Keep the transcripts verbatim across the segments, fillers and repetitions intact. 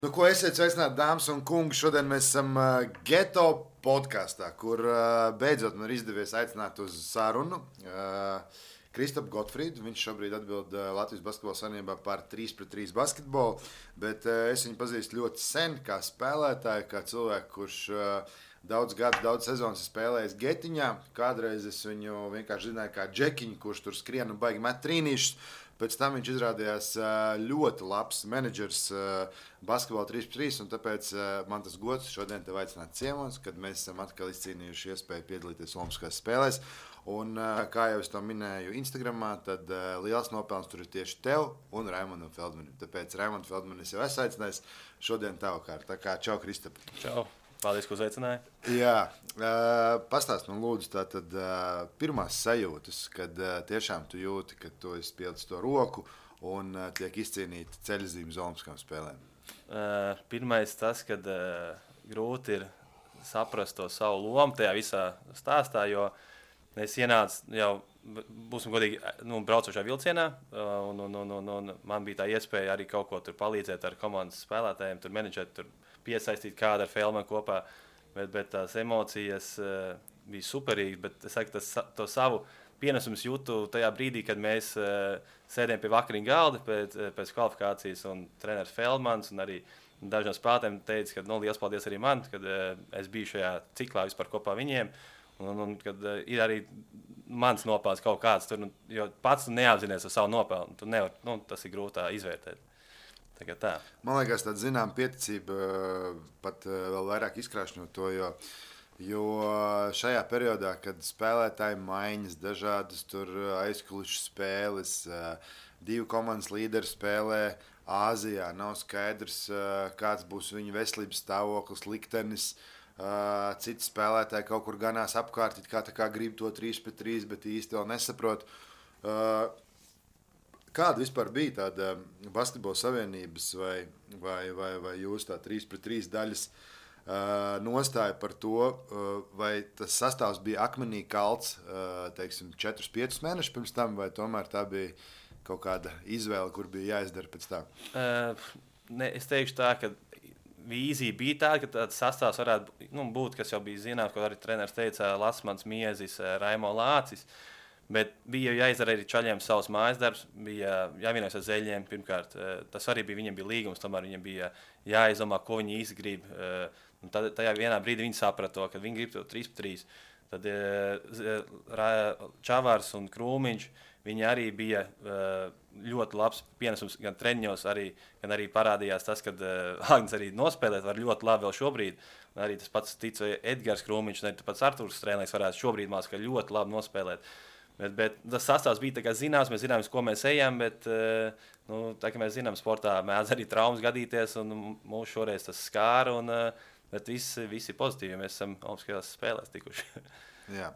Nu, ko esiet sveicināti, dāmas un kungi? Šodien mēs esam uh, Geto podkāstā, kur uh, beidzot man ir izdevies aicināt uz sarunu uh, Kristapu Gotfrīdu. Viņš šobrīd atbild uh, Latvijas Basketbola Savienībā par trīs pret trīs basketbolu, bet uh, es viņu pazīstu ļoti sen kā spēlētāju, kā cilvēku, kurš uh, daudz gadu, daudz sezonas spēlējis Getiņā. Kādreiz es viņu vienkārši zināju kā džekiņu, kurš tur skrien un baigi met trīnīšus. Pēc tam viņš izrādījās ļoti labs menedžers basketbolā trīs pret trīs, un tāpēc man tas gods šodien te aicināt ciemos, kad mēs esam atkal izcīnījuši iespēju piedalīties Olimpiskās spēlēs. Un, kā jau es to minēju Instagramā, tad liels nopelns tur ir tieši tev un Raimondam Feldmanim. Tāpēc Raimondu Feldmanu es jau esmu aicinājis šodien tavu kārtu. Tā kā čau, Kristap. Čau. Paldies, ka uzaicināji. Jā, uh, pastāst man lūdzu tātad uh, pirmās sajūtas, kad uh, tiešām tu jūti, ka tu esi pielicis to roku un uh, tiek izcīnīta ceļzīme uz Olimpiskām spēlēm. Uh, pirmais tas, kad uh, grūti ir saprast to savu lomu tajā visā stāstā, jo es ienācu jau, būsim godīgi, nu, braucošā vilcienā, uh, un, un, un, un, un man bija tā iespēja arī kaut ko tur palīdzēt ar komandas spēlētājiem, tur menedžēt, tur piesaistīt kādu ar Feldmanu kopā, bet, bet tās emocijas uh, bija superīgas, bet es saku, tas, to savu pienesumus jūtu tajā brīdī, kad mēs uh, sēdējām pie vakariņu galda pēc, pēc kvalifikācijas, un treneris Feldmans un arī daži no spēlētājiem teica, ka nu, liels paldies arī man, kad uh, es biju šajā ciklā vispār kopā viņiem, un, un, un kad uh, ir arī mans nopelns kaut kāds tur, un, jo pats tu neapzinies ar savu nopelnu, tu nevar, nu, tas ir grūtā izvērtēt. Tā. Man liekas, tāda zinām pieticība pat vēl vairāk izkrāšņot to, jo, jo šajā periodā, kad spēlētāji maiņas, dažādas tur aizkulišu spēles, divu komandas līderi spēlē Āzijā, nav skaidrs, kāds būs viņu veselības stāvoklis, liktenis, citi spēlētāji kaut kur ganās apkārt, it kā tā kā grib to trīs pret trīs, bet īsti vēl nesaprot. Kāda vispār bija tāda Basketbola Savienības vai, vai, vai, vai jūs tā trīs pret trīs daļas uh, nostāja par to, uh, vai tas sastāvs bija akmenī kalts, uh, teiksim, četrus piecus mēnešus pirms tam, vai tomēr tā bija kaut kāda izvēle, kur bija jāizdara pēc tā? Uh, ne, es teikšu tā, ka vīzija bija tāda, ka tāds sastāvs varētu nu, būt, kas jau bija zināms, ko arī treneris teica, Lasmans Miezis, Raimo Lācis. Bet bija jāizdara arī čaļiem savs mājas darbs, bija jāvienojas ar zeļiem. Pirmkārt, tas arī bija, viņiem bija līgums, tomēr viņiem bija jāizdomā, ko viņi īsti grib. Un tad, tajā vienā brīdī viņi saprata to, ka viņi grib to trīs pret trīs. Tad Čavārs un Krūmiņš, viņi arī bija ļoti labs pienesums gan treniņos, arī, gan arī parādījās tas, ka Agnes arī nospēlēt var ļoti labi vēl šobrīd. Un arī tas pats tic Edgars Krūmiņš, un arī pats Artūrs Strēlnieks varētu šobrīd māc, ka ļoti labi nospēlēt. Bet, bet tas sastāvs bija tā kā zināms, mēs zinām, ko mēs ejam, bet, nu, tā kā mēs zinām, sportā mēdz arī traumas gadīties, un mūs šoreiz tas skāra, un, bet visi, visi pozitīvi, mēs esam Olimpiskajās spēlēs tikuši. Jā.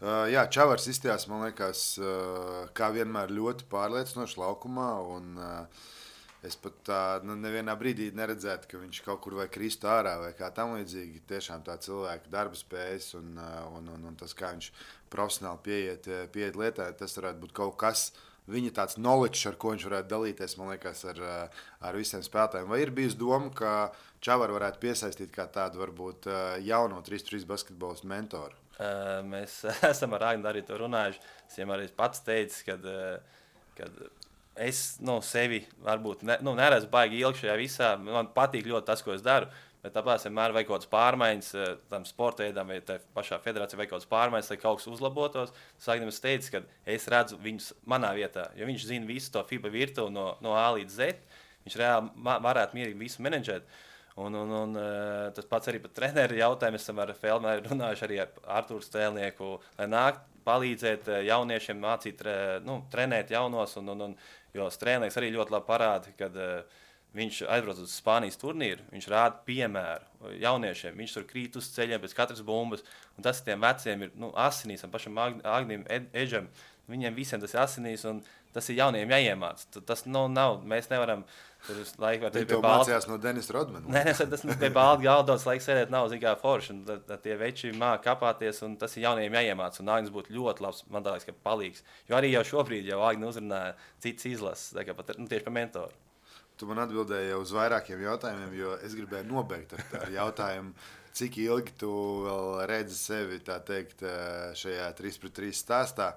Uh, jā, Čavars izstījās, man liekas, uh, kā vienmēr ļoti pārliecinoši laukumā, un uh, es pat tā, nu, nevienā brīdī neredzētu, ka viņš kaut kur vai kristu ārā vai kā tam līdzīgi. Tiešām tā cilvēka darba spējas un, un, un, un tas, kā viņš profesionāli pieiet, pieiet lietā, tas varētu būt kaut kas, viņa tāds knowledge, ar ko viņš varētu dalīties, man liekas, ar, ar visiem spēlētājiem. Vai ir bijis doma, ka Čavaru varētu piesaistīt kā tādu varbūt jauno trīs pret trīs basketbolas mentoru? Mēs esam ar Agnu arī to runājuši. Es viņam arī pats teicu, kad, kad es nu, sevi varbūt ne, nu, neredzu baigi ilgi šajā visā. Man patīk ļoti tas, ko es daru, bet tāpēc vienmēr vajag kaut kādas pārmaiņas tam sporta veidam vai tā pašā federācijā vajag kaut kādas pārmaiņas, lai kaut kas uzlabotos. Sagnim es teicu, ka es redzu viņus manā vietā, jo viņš zina visu to FIBA virtuvi no, no A līdz Z. Viņš reāli varētu mierīgi visu menedžēt. Un, un, un tas pats arī par treneru jautājumu. Mēs esam ar Feldmanu runājuši arī ar Artūru Strēlnieku, lai nāk palīdzēt jauniešiem mācīt, nu, trenēt jaunos. Un, un, un, jo Strēlnieks arī ļoti labi parāda, kad viņš aizbrauc uz Spānijas turnīru, viņš rāda piemēru jauniešiem. Viņš tur krīt uz ceļiem pēc katras bumbas. Un tas tiem veciem ir nu, asinīs, un pašam Agnim, Edžam, viņiem visiem tas ir asinīs. Un tas ir jauniem jāiemāc. Tas nu, nav, mēs nevaram tur laiku var teikt pie balda. Mācījās no Denis Rodmana. Nē, nē, tas pie balda galdots laiks sēdēt nav zikā forši. Un tad, tad tie veči māk kapāties, un tas ir jauniem jāiemāc. Un Agnis būtu ļoti labs, man tā liekas, ka palīgs. Jo arī jau šobrīd jau Agni uzrunāja cits izlases, tā kā pat, nu, tieši par mentoru. tu man atbildēji jau uz vairākiem jautājumiem, jo es gribēju nobeigt ar, ar jautājumu, cik ilgi tu vēl redzi sevi, tā teikt, šajā trīs pret trīs stāstā.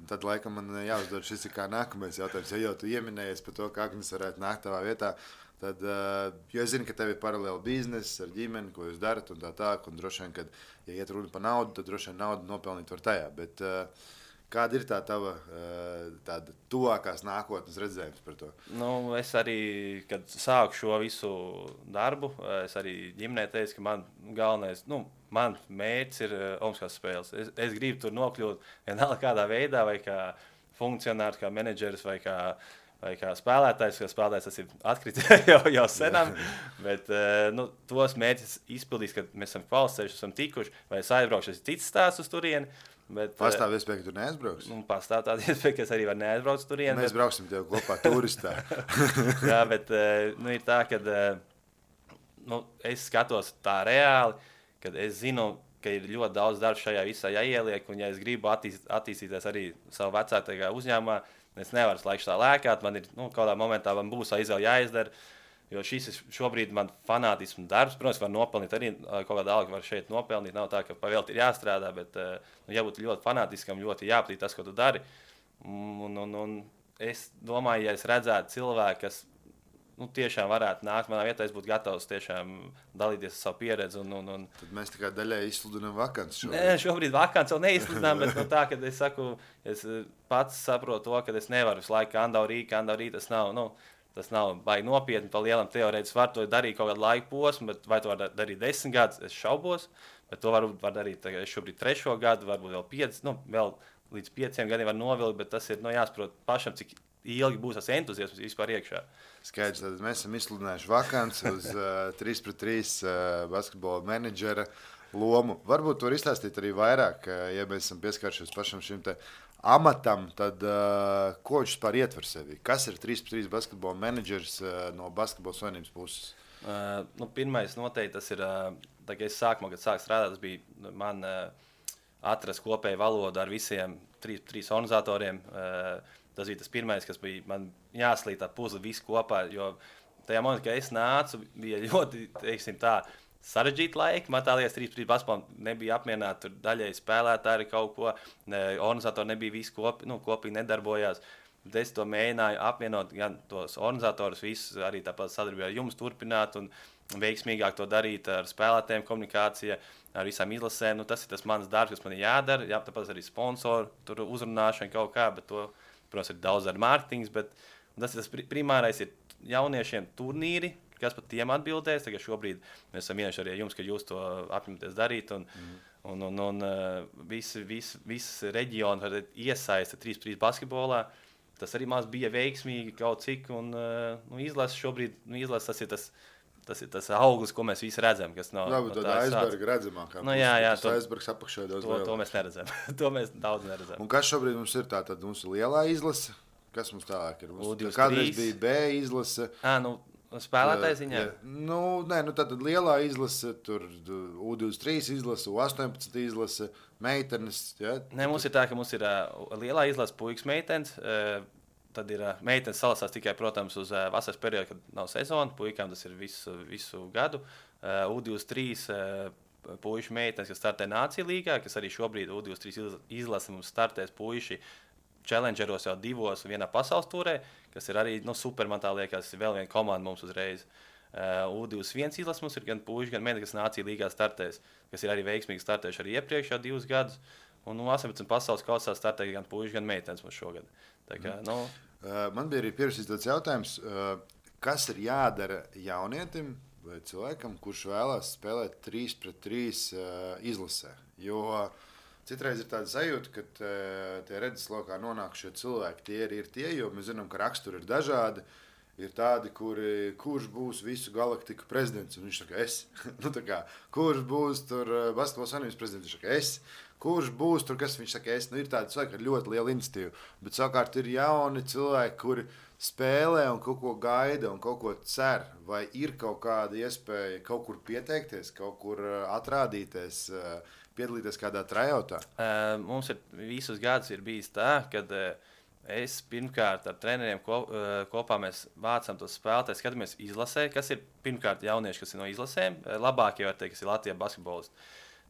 Tad, laikam, man jāuzdod šis ir kā nākamais jautājums, ja jau tu ieminējies par to, kā Agnes varētu nākt tavā vietā. Tad, jo es zinu, ka tev ir paralēli bizness ar ģimeni, ko jūs darat un tā tā, un droši vien, kad, ja iet runa par naudu, tad droši vien naudu nopelnīt var tajā. Bet kāda ir tā tava tāda tuvākās nākotnes redzējums par to? Nu, es arī, kad sāku šo visu darbu, es arī ģimenē teicu, ka man galvenais, nu, man mērķis ir Olimpiskās spēles. Es, es gribu tur nokļūt vienalga kādā veidā, vai kā funkcionārs, kā menedžeris, vai kā vai kā spēlētājs, jo spēlētājs tas ir atkritis jau, jau senam, bet nu, tos mērķus izpildīs, kad mēs esam kvalificējuši, esam tikuši, vai es aizbraukšu, tas ir cits stāsts uz turieni. Bet, pastāv iespēja, ka tu neaizbrauksi? Nu, pastāv tāda iespēja, ka es arī varu neaizbraukt uz turieni. Mēs bet... brauksim tev kopā turistā. Jā, bet nu, ir tā, ka nu, es skatos tā reāli, kad es zinu, ka ir ļoti daudz darba šajā visā jāieliek, un ja es gribu attīst, attīstīties arī savu vecākajā uzņēmumā, es nevaru laiku tā lēkāt, man ir nu, kādā momentā man būs izvēle jāizdara, jo šis ir šobrīd man fanātismu darbs. Protams, var nopelnīt arī kaut kādā alga, var šeit nopelnīt, nav tā, ka pavēlti ir jāstrādā, bet nu, jābūt ļoti fanātiskam, ļoti jāpatīk tas, ko tu dari. Un, un, un es domāju, ja es redzētu cilvēku, kas nu, tiešām varētu nākt manā vietā, es būtu gatavs tiešām dalīties ar savu pieredzi. Un, un, un... Tad mēs tā kā daļai izsludinām vakants šobrīd. Nē, šobrīd vakants vēl neizsludinām, bet no tā, kad es saku, es pats saprotu to, ka es nevaru visu laiku kandau rīt, kandau rīt, tas nav, nu, tas nav baigi nopietni, pa lielam teorētiski var to darīt kaut kādu laiku posmu, bet vai to var darīt desmit gadus, es šaubos, bet to var, var darīt, tagad, es šobrīd trešo gadu, varbūt vēl pieci, nu, vēl līdz pieciem gadiem var novilkt, bet tas ir, nu, jāsaprot pašam, cik ilgi būs tas entuziasms vispār iekšā. Skaidrs, tad mēs esam izsludinājuši vakants uz uh, trīs pret trīs uh, basketbola menedžera lomu. Varbūt to var izstāstīt arī vairāk, uh, ja mēs esam pieskāršies pašam šim te amatam, tad uh, ko viņš vispār ietver sevi? Kas ir trīs pret trīs basketbola menedžers uh, no basketbola savienības puses? Uh, nu, pirmais noteikti tas ir, uh, tā, kad es sākumā, kad sāku strādāt, tas bija man uh, atrast kopēju valodu ar visiem trīs, trīs organizatoriem. Uh, Tas bija tas pirmais, kas bija man jāslīd tā puzle visu kopā, jo tajā momentā, kad es nācu, bija ļoti, teiksim tā, sarežģīti laiki. Man tā liekas, trīs pret trīs basketbolam nebija apmierināti, tur daļēji spēlētāji kaut ko, organizatori nebija visi kopi, nu, kopīgi nedarbojās. Bet es to mēģināju apvienot, gan tos organizatorus, visus arī tāpat sadarbībā ar jums turpināt un veiksmīgāk to darīt ar spēlētājiem, komunikācija, ar visām izlasēm. Nu, tas ir tas mans darbs, kas man ir jādara, jā, tāpat arī sponsoru, tur uzrunāšana kaut kā, bet to, protams, ir daudz ar mārketings, bet tas ir tas primārais ir jauniešiem turnīri, kas pat tiem atbildēs. Tagad šobrīd mēs esam vienojuši arī jums, ka jūs to apņematies darīt, un, mm. un, un, un visi, visi, visi reģioni iesaista trīs pret trīs basketbolā. Tas arī maz bija veiksmīgi kaut cik, un nu, izlases šobrīd, nu, izlases tas ir tas, tas ir tas auglis, ko mēs visi redzam, kas nav. Labi, no tāda aizberga redzamākā. Nu, jā, jā, to, aizbergs apakšā daudz to, to mēs neredzam. To mēs daudz neredzam. Un kas šobrīd mums ir tā, tad mums ir lielā izlase? Kas mums tālāk ir? U divdesmit trīs. Kādreiz bija B izlase. Ā, nu, spēlētāji ziņā? Nu, nē, nu tātad lielā izlase, tur U divdesmit trīs izlase, U astoņpadsmit izlase, meitenes, jā? Nē, mums ir tā, ka mums ir uh, lielā izlase puikas meitenes, uh, tad ir uh, meitenes salasās tikai, protams, uz uh, vasaras periodu, kad nav sezona. Puikām tas ir visu, visu gadu. Uh, U divdesmit trīs uh, puišu meitenes, kas startē Nācija līgā, kas arī šobrīd U divdesmit trīs izlase mums startēs puiši challengeros jau divos vienā pasaules turē, kas ir arī nu, super, man tā liekas, vēl viena komanda mums uzreiz. Uh, U divdesmit viens izlase mums ir gan puiši, gan meitenes, kas Nācija līgā startēs, kas ir arī veiksmīgi startējuši arī iepriekš jau divus gadus. Un nu, astoņpadsmit pasaules kausā startē gan puiši, gan meitenes mums šogad. Tā kā, mm. nu... uh, man bija arī pierakstīts tāds jautājums, uh, kas ir jādara jaunietim vai cilvēkam, kurš vēlās spēlēt trīs pret trīs uh, izlasē? Jo uh, citreiz ir tāda sajūta, ka uh, tie redzeslokā nonākušie cilvēki tie ir, ir tie, jo mēs zinām, ka raksturi ir dažādi. Ir tādi, kuri, kurš būs visu galaktiku prezidents, un viņš saka, es. nu, tā kā, kurš būs tur basketbola savienības prezidents, viņš saka, es. Kurš būs tur, kas viņš saka, es. Nu, ir tādi cilvēki ar ļoti lielu iniciatīvu, bet savukārt ir jauni cilvēki, kuri spēlē un kaut ko gaida un kaut ko cer, vai ir kaut kāda iespēja kaut kur pieteikties, kaut kur atrādīties, piedalīties kādā trajautā? Uh, mums ir visus gadus ir bijis tā, kad uh, Es pirmkārt ar treneriem ko, kopā mēs vācam tos spēlētājus, skatāmies izlasē, kas ir pirmkārt jaunieši, kas ir no izlasēm, labākie, var teikt, kas ir Latvijas basketbolisti.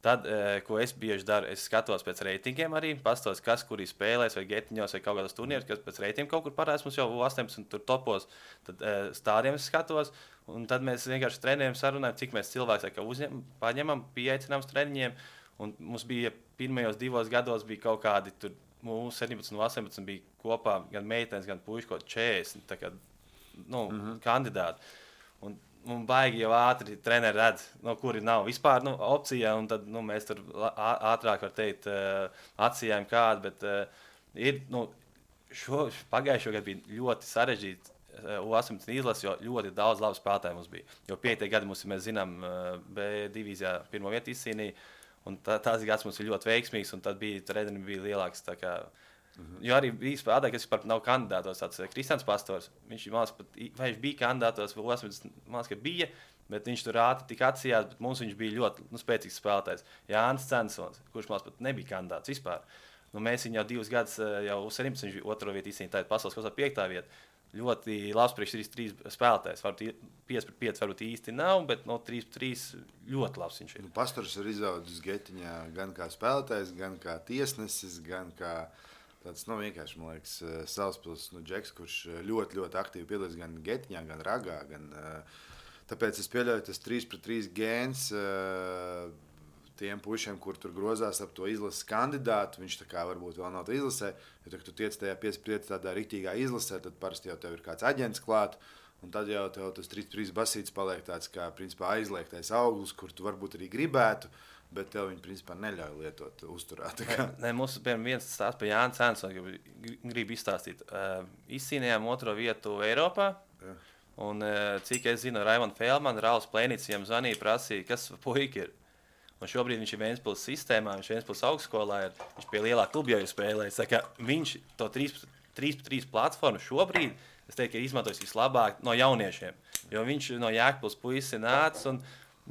Tad, ko es bieži daru, es skatos pēc reitingiem arī, pastos, kas kur ir spēlēs vai getiņos vai kaut kādos turnīros, kas pēc reitingiem kaut kur parādās, mums jau astoņpadsmit tur topos, tad stādiem es skatos, un tad mēs vienkārši treneriem sarunājam, cik mēs cilvēks uzņem, paņemam, pieaicinām uz treniņiem, un mums bija pirmajos divos gados bija kaut kādi tur, mūsu septiņpadsmit un astoņpadsmit bija kopā gan meitenes, gan puiši kaut četrdesmit tā kā, nu, mm-hmm. kandidāti. Un, un baigi jau ātri treneri redz, no kuri nav vispār nu, opcija, un tad nu, mēs tur ātrāk var teikt atsījām kādu, bet uh, ir, nu, šo, pagājušo gadu bija ļoti sarežģīti U astoņpadsmit izlases, jo ļoti daudz labu spēlētāju mums bija. Jo piektie gadi mums, mēs zinām, B divīzijā pirmo vietu izcīnīja, un tā, tās gads mums ir ļoti veiksmīgs, un tad bija, redeni bija lielāks, tā kā, mm-hmm. jo arī bija spēlētāji, kas vispār nav kandidātos, tāds Kristians Pastors, viņš, mās, pat, vai viņš bija kandidātos, vai astoņpadsmit, mās, ka bija, bet viņš tur ātri tik atsījās, bet mums viņš bija ļoti nu, spēcīgs spēlētājs. Jānis Censons, kurš mās pat nebija kandidāts vispār. Nu, mēs viņu jau divus gadus, jau septiņpadsmit, viņš bija otro vietu izcīnīja, tā ir pasaules kosā piektā vieta. Ļoti labs priekš trīs trīs spēlētājs. Varbūt pieci pret pieci varbūt īsti nav, bet no trīs pret trīs ļoti labs viņš ir. Nu, Pastors ir izaudzis getiņā gan kā spēlētājs, gan kā tiesnesis, gan kā tāds, nu, vienkārši, man liekas, Salaspils, nu, džeks, kurš ļoti, ļoti aktīvi piedalās gan getiņā, gan ragā, gan, tāpēc es pieļauju tas trīs pret trīs gēns tiem pušiem, kur tur grozās ap to izlases kandidātu, viņš tā kā varbūt vēl nav tā izlasē, jo, kad tu tiec tajā pieci pret pieci tādā riktīgā izlasē, tad parasti jau tev ir kāds aģents klāt, un tad jau tev tas trīs pret trīs basīts paliek tāds kā, principā, aizliegtais auglis, kur tu varbūt arī gribētu, bet tev viņi, principā, neļauj lietot uzturā. Nē, mums, piemēram, viens stāsts par Jāni Censonu, gribu izstāstīt. Uh, izcīnījām otro vietu Eiropā, ja. Un uh, cik es zinu, Raimond Feldman, Rauls Plēnīts viņam zvanīja, prasīja, kas puika ir. Un šobrīd viņš ir Ventspils sistēmā, viņš ir Ventspils augstskolā, ir, viņš pie lielā kluba jau spēlējis. Viņš to trīs pret trīs platformu šobrīd, es teiktu, ir izmantojis vislabāk no jauniešiem. Jo viņš no Jēkabpils puisis nāca, un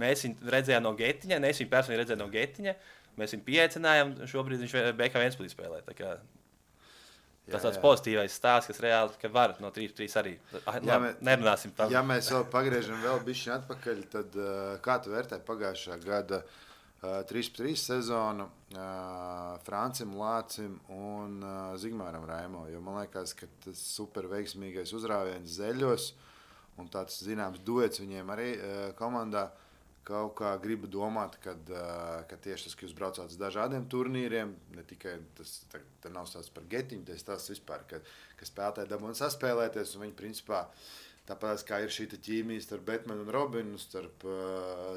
mēs viņu redzējām no getiņa, ne es viņu personīgi redzēju no getiņa, mēs viņu pieaicinājām, šobrīd viņš B K Ventspilī spēlē. Tā kā, tas jā, tāds jā. Pozitīvais stāsts, kas reāli, ka var no trīs pret trīs arī. Ja, mē, nerunāsim par. Ja mēs vēl pagriežam vēl bišķiņ atpakaļ, tad kā tu vērtē pagājušā gada trīs pret trīs sezonu uh, Francim, Lācim un uh, Zigmāram Raimo, jo man liekas, ka tas super veiksmīgais uzrāviens Zeļos un tāds zināms duets viņiem arī uh, komandā kaut kā gribu domāt, kad, uh, ka tieši tas, ka jūs braucāt uz dažādiem turnīriem, ne tikai tas, tā, tā nav stāsts par getiņu, tas stāsts vispār, ka, ka spēlētāji dabūna saspēlēties un viņi principā tāpēc, kā ir šī ķīmija starp Betmanu un Robinu, starp,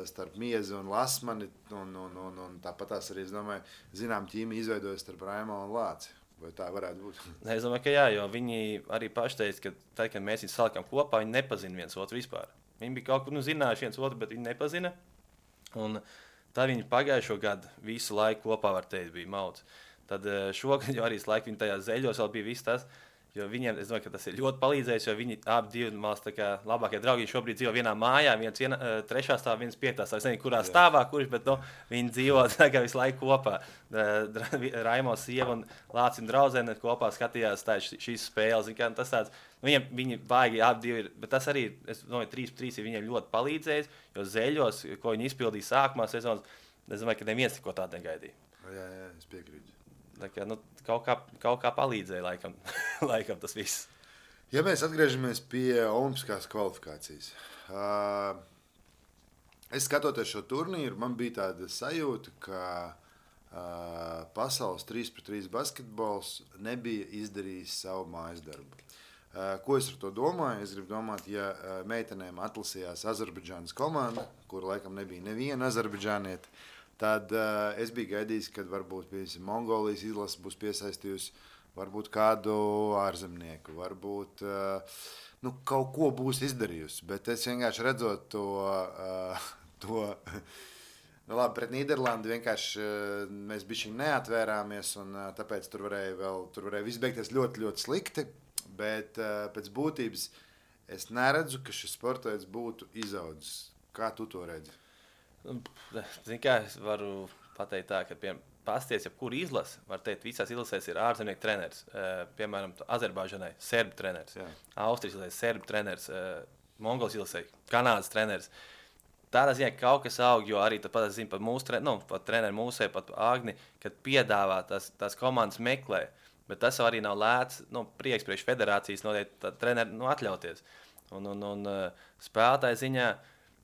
starp Miezu un Lasmani, un, un, un, un tāpat tās arī, es domāju, zinām ķīmija izveidojas starp Raimo un Lāci. Vai tā varētu būt? Es domāju, ka jā, jo viņi arī paši teica, ka tad, kad mēs viņus salikām kopā, viņi nepazina viens otru vispār. Viņi bija kaut kur, nu, zinājuši viens otru, bet viņi nepazina. Un tad viņi pagājušo gadu visu laiku kopā, var teikt, bija mauts. Tad šogad jau arī laiku viņi tajā Zeļos vēl bija viss tas. Jo viņiem, es domāju, ka tas ir ļoti palīdzējis, jo viņi abi divi mās tā kā labākie draugi šobrīd dzīvo vienā mājā, viens viena, trešā stāvā, viens piektā stāvā. Es nezinu, kurā stāvā, kurš, bet no, viņi dzīvo tā kā visu laiku kopā. Raimo sieva un Lācis draudzene kopā skatījās tā, šīs spēles. Kā, tas tāds, viņiem, viņi baigi abi divi ir, bet tas arī, es domāju, trīs pret trīs ir viņiem ļoti palīdzējis, jo Zeļos, ko viņi izpildīja sākumā sezonas, es domāju, ka neviens neko tādu negaidīja. Jā, jā, es piekrītu. Tā kā, nu, kaut, kā, kaut kā palīdzēja, laikam, laikam tas viss. Ja mēs atgriežamies pie olimpiskās kvalifikācijas. Uh, es skatoties šo turnīru, man bija tāda sajūta, ka uh, pasaules trīs pret trīs basketbols nebija izdarījis savu mājas darbu. Uh, ko es ar to domāju? Es gribu domāt, ja uh, meitenēm atlasījās Azerbaidžānas komanda, kur laikam nebija neviena azerbaidžānieta, tad uh, es biju gaidījis, ka varbūt piemēram, Mongolijas izlase būs piesaistījusi varbūt kādu ārzemnieku, varbūt uh, nu, kaut ko būs izdarījusi. Bet es vienkārši redzot to, uh, to nu, labi, pret Nīderlandi vienkārši uh, mēs bišķiņ neatvērāmies, un uh, tāpēc tur varēja, vēl, tur varēja viss beigties ļoti, ļoti slikti. Bet uh, pēc būtības es neredzu, ka šis sportveids būtu izaudzis. Kā tu to redzi? Zini kā, es varu pateikt tā, ka, piemēram, pasties, ja kur izlase, var teikt, visās izlasēs ir ārzemnieku treneris. Uh, piemēram, Azerbaidžanai serbu treneris, Jā. Austrijas izlasē serbu treneris, uh, Mongols izlasē Kanādas treneris. Tādā ziņā kaut kas aug, jo arī pat zinu par mūsu tre, nu, pat treneri mūsē, pat Agni, kad piedāvā tās, tās komandas meklē, bet tas arī nav lēts, nu, prieks priekš federācijas noteikti treneri nu, atļauties. Un, un, un uh, spēlētāju ziņā,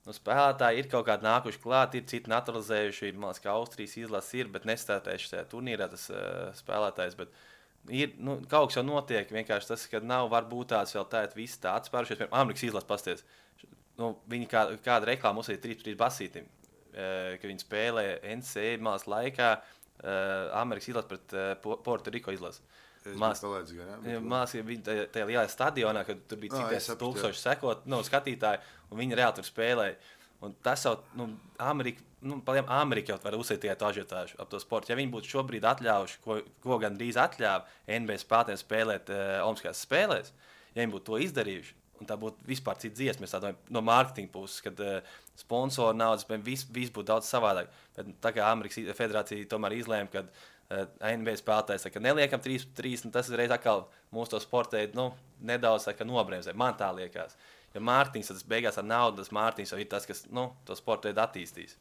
nu, spēlētāji ir kaut kādi nākuši klāt, ir citi naturalizējuši, man liekas, ka Austrijas izlases ir, bet nestartējuši šajā turnīrā tas uh, spēlētājs. Bet ir, nu, kaut kas jau notiek, vienkārši tas, ka nav varbūt tāds vēl tā, visi tā atspērušies, piemēram, Amerikas izlases pasties. Nu, viņi kā, kāda reklāma uzsīja trīs trīs basītim, uh, ka viņi spēlē N C A A malas laikā uh, Amerikas izlases pret uh, Puerto-Riko izlases. Mās, mās, viņi tajā lielajā stadionā, kad tur bija cik no, tūkstoši sekot, nu, skatītāji, un viņi reāli tur spēlēja. Un tas jau, nu, Amerika, nu, paliem Amerika jau var uzsēt tikai to ažiotāžu ap to sportu. Ja viņi būtu šobrīd atļaujuši, ko, ko gan drīz atļāva N B A spēlētājiem spēlēt uh, Olimpiskajās spēlēs, ja viņi būtu to izdarījuši, un tā būtu vispār cita dziesma, mēs tādā no mārketinga puses, kad uh, sponsoru naudas, viss vis būtu daudz savādāk. Bet tā kā Amerikas federācija tomēr izlēma, kad uh, N B A spēlētājs saka, neliekam trīs trīs, un tas reiz atkal mūsu to sportē, nu, nedaudz saka, nobremzē. Man tā liekas. Ja mārketings, tad beigās ar naudu, tas mārketings jau ir tas, kas, nu, to sportē attīstīs.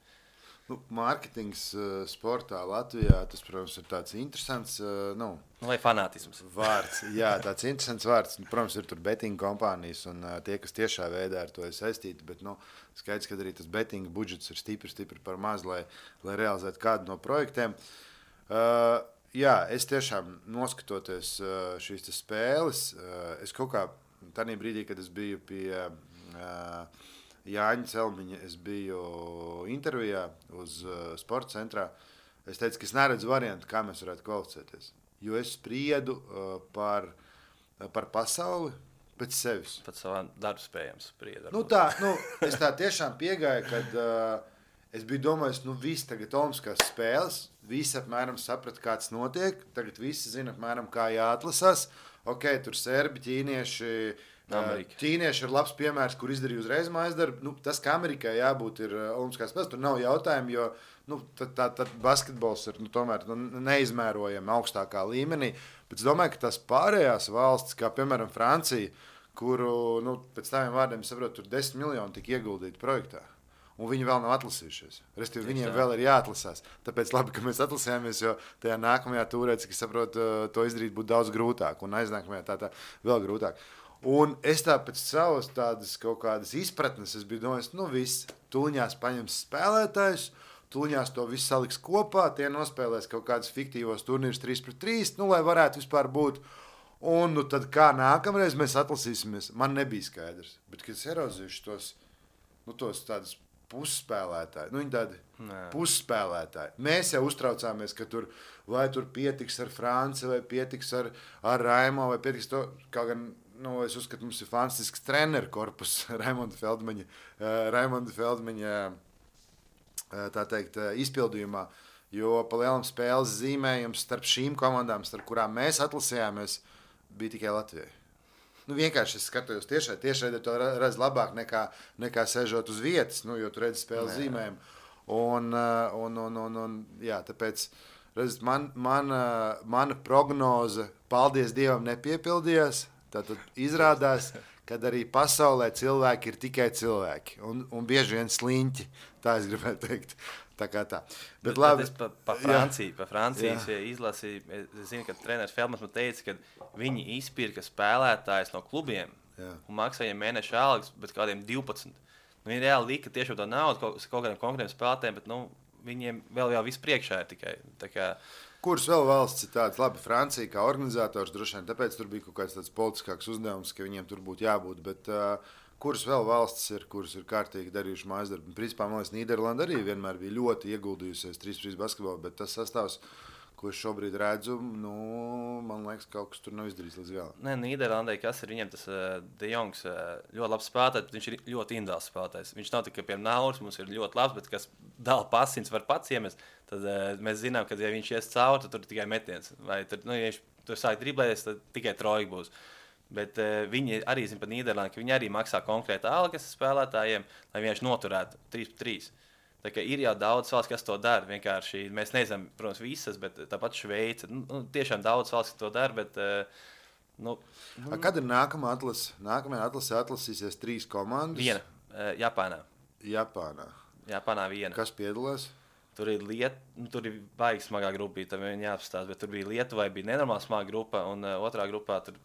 Nu, mārketings uh, sportā Latvijā, tas, protams, ir tāds interesants, uh, nu, vai fanātisms. Vārds, jā, tāds interesants vārds. Protams, ir tur betting kompānijas un uh, tie, kas tiešā veidā ar to ir saistīti, bet, nu, skaidrs, ka arī tas betting budžets ir stipri, stipri par maz, lai, lai realizētu kādu no projektiem. Uh, jā, es tiešām noskatoties uh, šīs spēles, uh, es kaut kā tādā brīdī, kad es biju pie uh, Jāņa Celmiņa, es biju intervijā uz uh, sporta centrā. Es teicu, ka es neredzu variantu, kā mēs varētu kvalificēties. Jo es spriedu uh, par, uh, par pasauli pēc sevis. Pat savām darbu spējām spriedu. Nu tā, nu, es tā tiešām piegāju, kad uh, es biju domājis, nu viss tagad olimpiskās spēles, visi apmēram saprata, kāds notiek, tagad visi zina apmēram, kā jāatlasās. Ok, tur serbi, ķīnieši, Amerika. Ķīnieši ir labs piemērs, kur izdarīja uzreiz mājas darbu. Nu, tas, ka Amerikai jābūt ir olimpiskās spēles, tur nav jautājumu, jo nu, tad, tad, tad basketbols ir nu, tomēr nu, neizmērojami augstākā līmenī. Bet es domāju, ka tās pārējās valstis, kā piemēram Francija, kuru, nu, pēc tādiem vārdiem saprotu, tur desmit miljoni tika ieguldīti projektā. Un viņi vēl nav atlasījušies. Restīvi, viņiem vēl ir jāatlasās. Tāpēc labi, ka mēs atlasījāmies, jo tajā nākamajā tūrē, cik es saprotu, to izdarīt būtu daudz grūtāk. Un aiznākamajā tā, tā vēl grūtāk. Un es tā pēc savas tādas kaut kādas izpratnes, es biju domājis, nu viss, tuliņās paņems spēlētājus, tuliņās to visu saliks kopā, tie nospēlēs kaut kādas fiktīvos turnīrus trīs pret trīs, nu, lai varētu vispār būt. Un nu, tad kā nākamreiz mēs atlasīsimies, man nebija skaidrs. Bet, kad es ieraudzīšu tos, nu, tos tādus pusspēlētāji, nu, viņi tādi Nē. pusspēlētāji. Mēs jau uztraucāmies, ka tur vai tur pietiks ar Franci, vai pietiks ar, ar Raimo, vai pietiks to, kaut gan, nu, es uzskatu, mums ir fantastisks treneru korpus Raimonda Feldmaņa, uh, Raimonda Feldmaņa uh, tā teikt, uh, izpildījumā, jo pa lielam spēles zīmējums starp šīm komandām, starp kurām mēs atlasījāmies, bija tikai Latvijai. Nu, vienkārši es skatos tiešai, tiešai to redz labāk nekā, nekā sežot uz vietas, nu, jo tu redzi spēles Nē. zīmējumu. Un, uh, un, un, un, un, jā, tāpēc, redz, man, man, uh, mana prognoze, paldies Dievam, nepiepildījās. Tātad izrādās, ka arī pasaulē cilvēki ir tikai cilvēki. Un, un bieži vien sliņķi, tā es gribētu teikt. Tā kā tā. Bet, bet labi. Es pa, pa Franciju, pa Francijas izlasīju, es zinu, ka treneris Feldmans man teica, ka viņi izpirka spēlētājus no klubiem jā. Un maksāja mēneša algas, bet kādiem divpadsmit. Nu, viņi reāli lika tiešām to naudu kaut, kaut kādiem konkrētiem spēlētājiem, bet nu, viņiem vēl jau viss priekšā ir tikai. Tā kā, kuras vēl valsts ir tādas, labi, Francija kā organizators droši vien, tāpēc tur bija kaut kāds tāds politiskāks uzdevums, ka viņiem tur būtu jābūt, bet uh, kuras vēl valstis ir, kuras ir kārtīgi darījuši mājas darbu. Principā, man liekas, Nīderlanda arī vienmēr bija ļoti ieguldījusies trīs pret trīs basketbolā, bet tas sastāvs, ko es šobrīd redzu, nu, man liekas, kaut kas tur nav izdarīts līdz galam. Nē, Nīderlandē, kas ir viņiem tas uh, De Jongs, uh, ļoti labs spēlētājs, bet viņš ir ļoti individuāls spēlētājs. Viņš nav tikai, piemēram, Nauris, mums ir ļoti labs, bet kas dala pasins var pats iemest, tad uh, mēs zinām, ka, ja viņš ies cauri, tad tur ir tikai metiens. Vai tur, nu, ja viņš tur sāk driblēties, tad tikai trojka būs. Bet uh, viņi arī zina par Nīderlandi, ka viņi arī maksā konkrēti algas spēlētājiem, lai vienkārši noturētu trīs pret trīs. Tā kā ir jau daudz valsts, kas to dara. Vienkārši mēs nezinām, protams, visas, bet tāpat Šveice. Nu, tiešām daudz valsts, kas to dara, bet... Nu, A, kad ir nākamā atlase? Nākamajā atlasē atlasīsies trīs komandas. Viena. Japānā. Japānā. Japānā viena. Kas piedalās? Tur ir Liet... nu, tur ir baigi smagā grupa, tam viņi jāapstāsta, bet tur bija Lietuvai, bija nenormāli smaga grupa, un uh, otrā grupā tur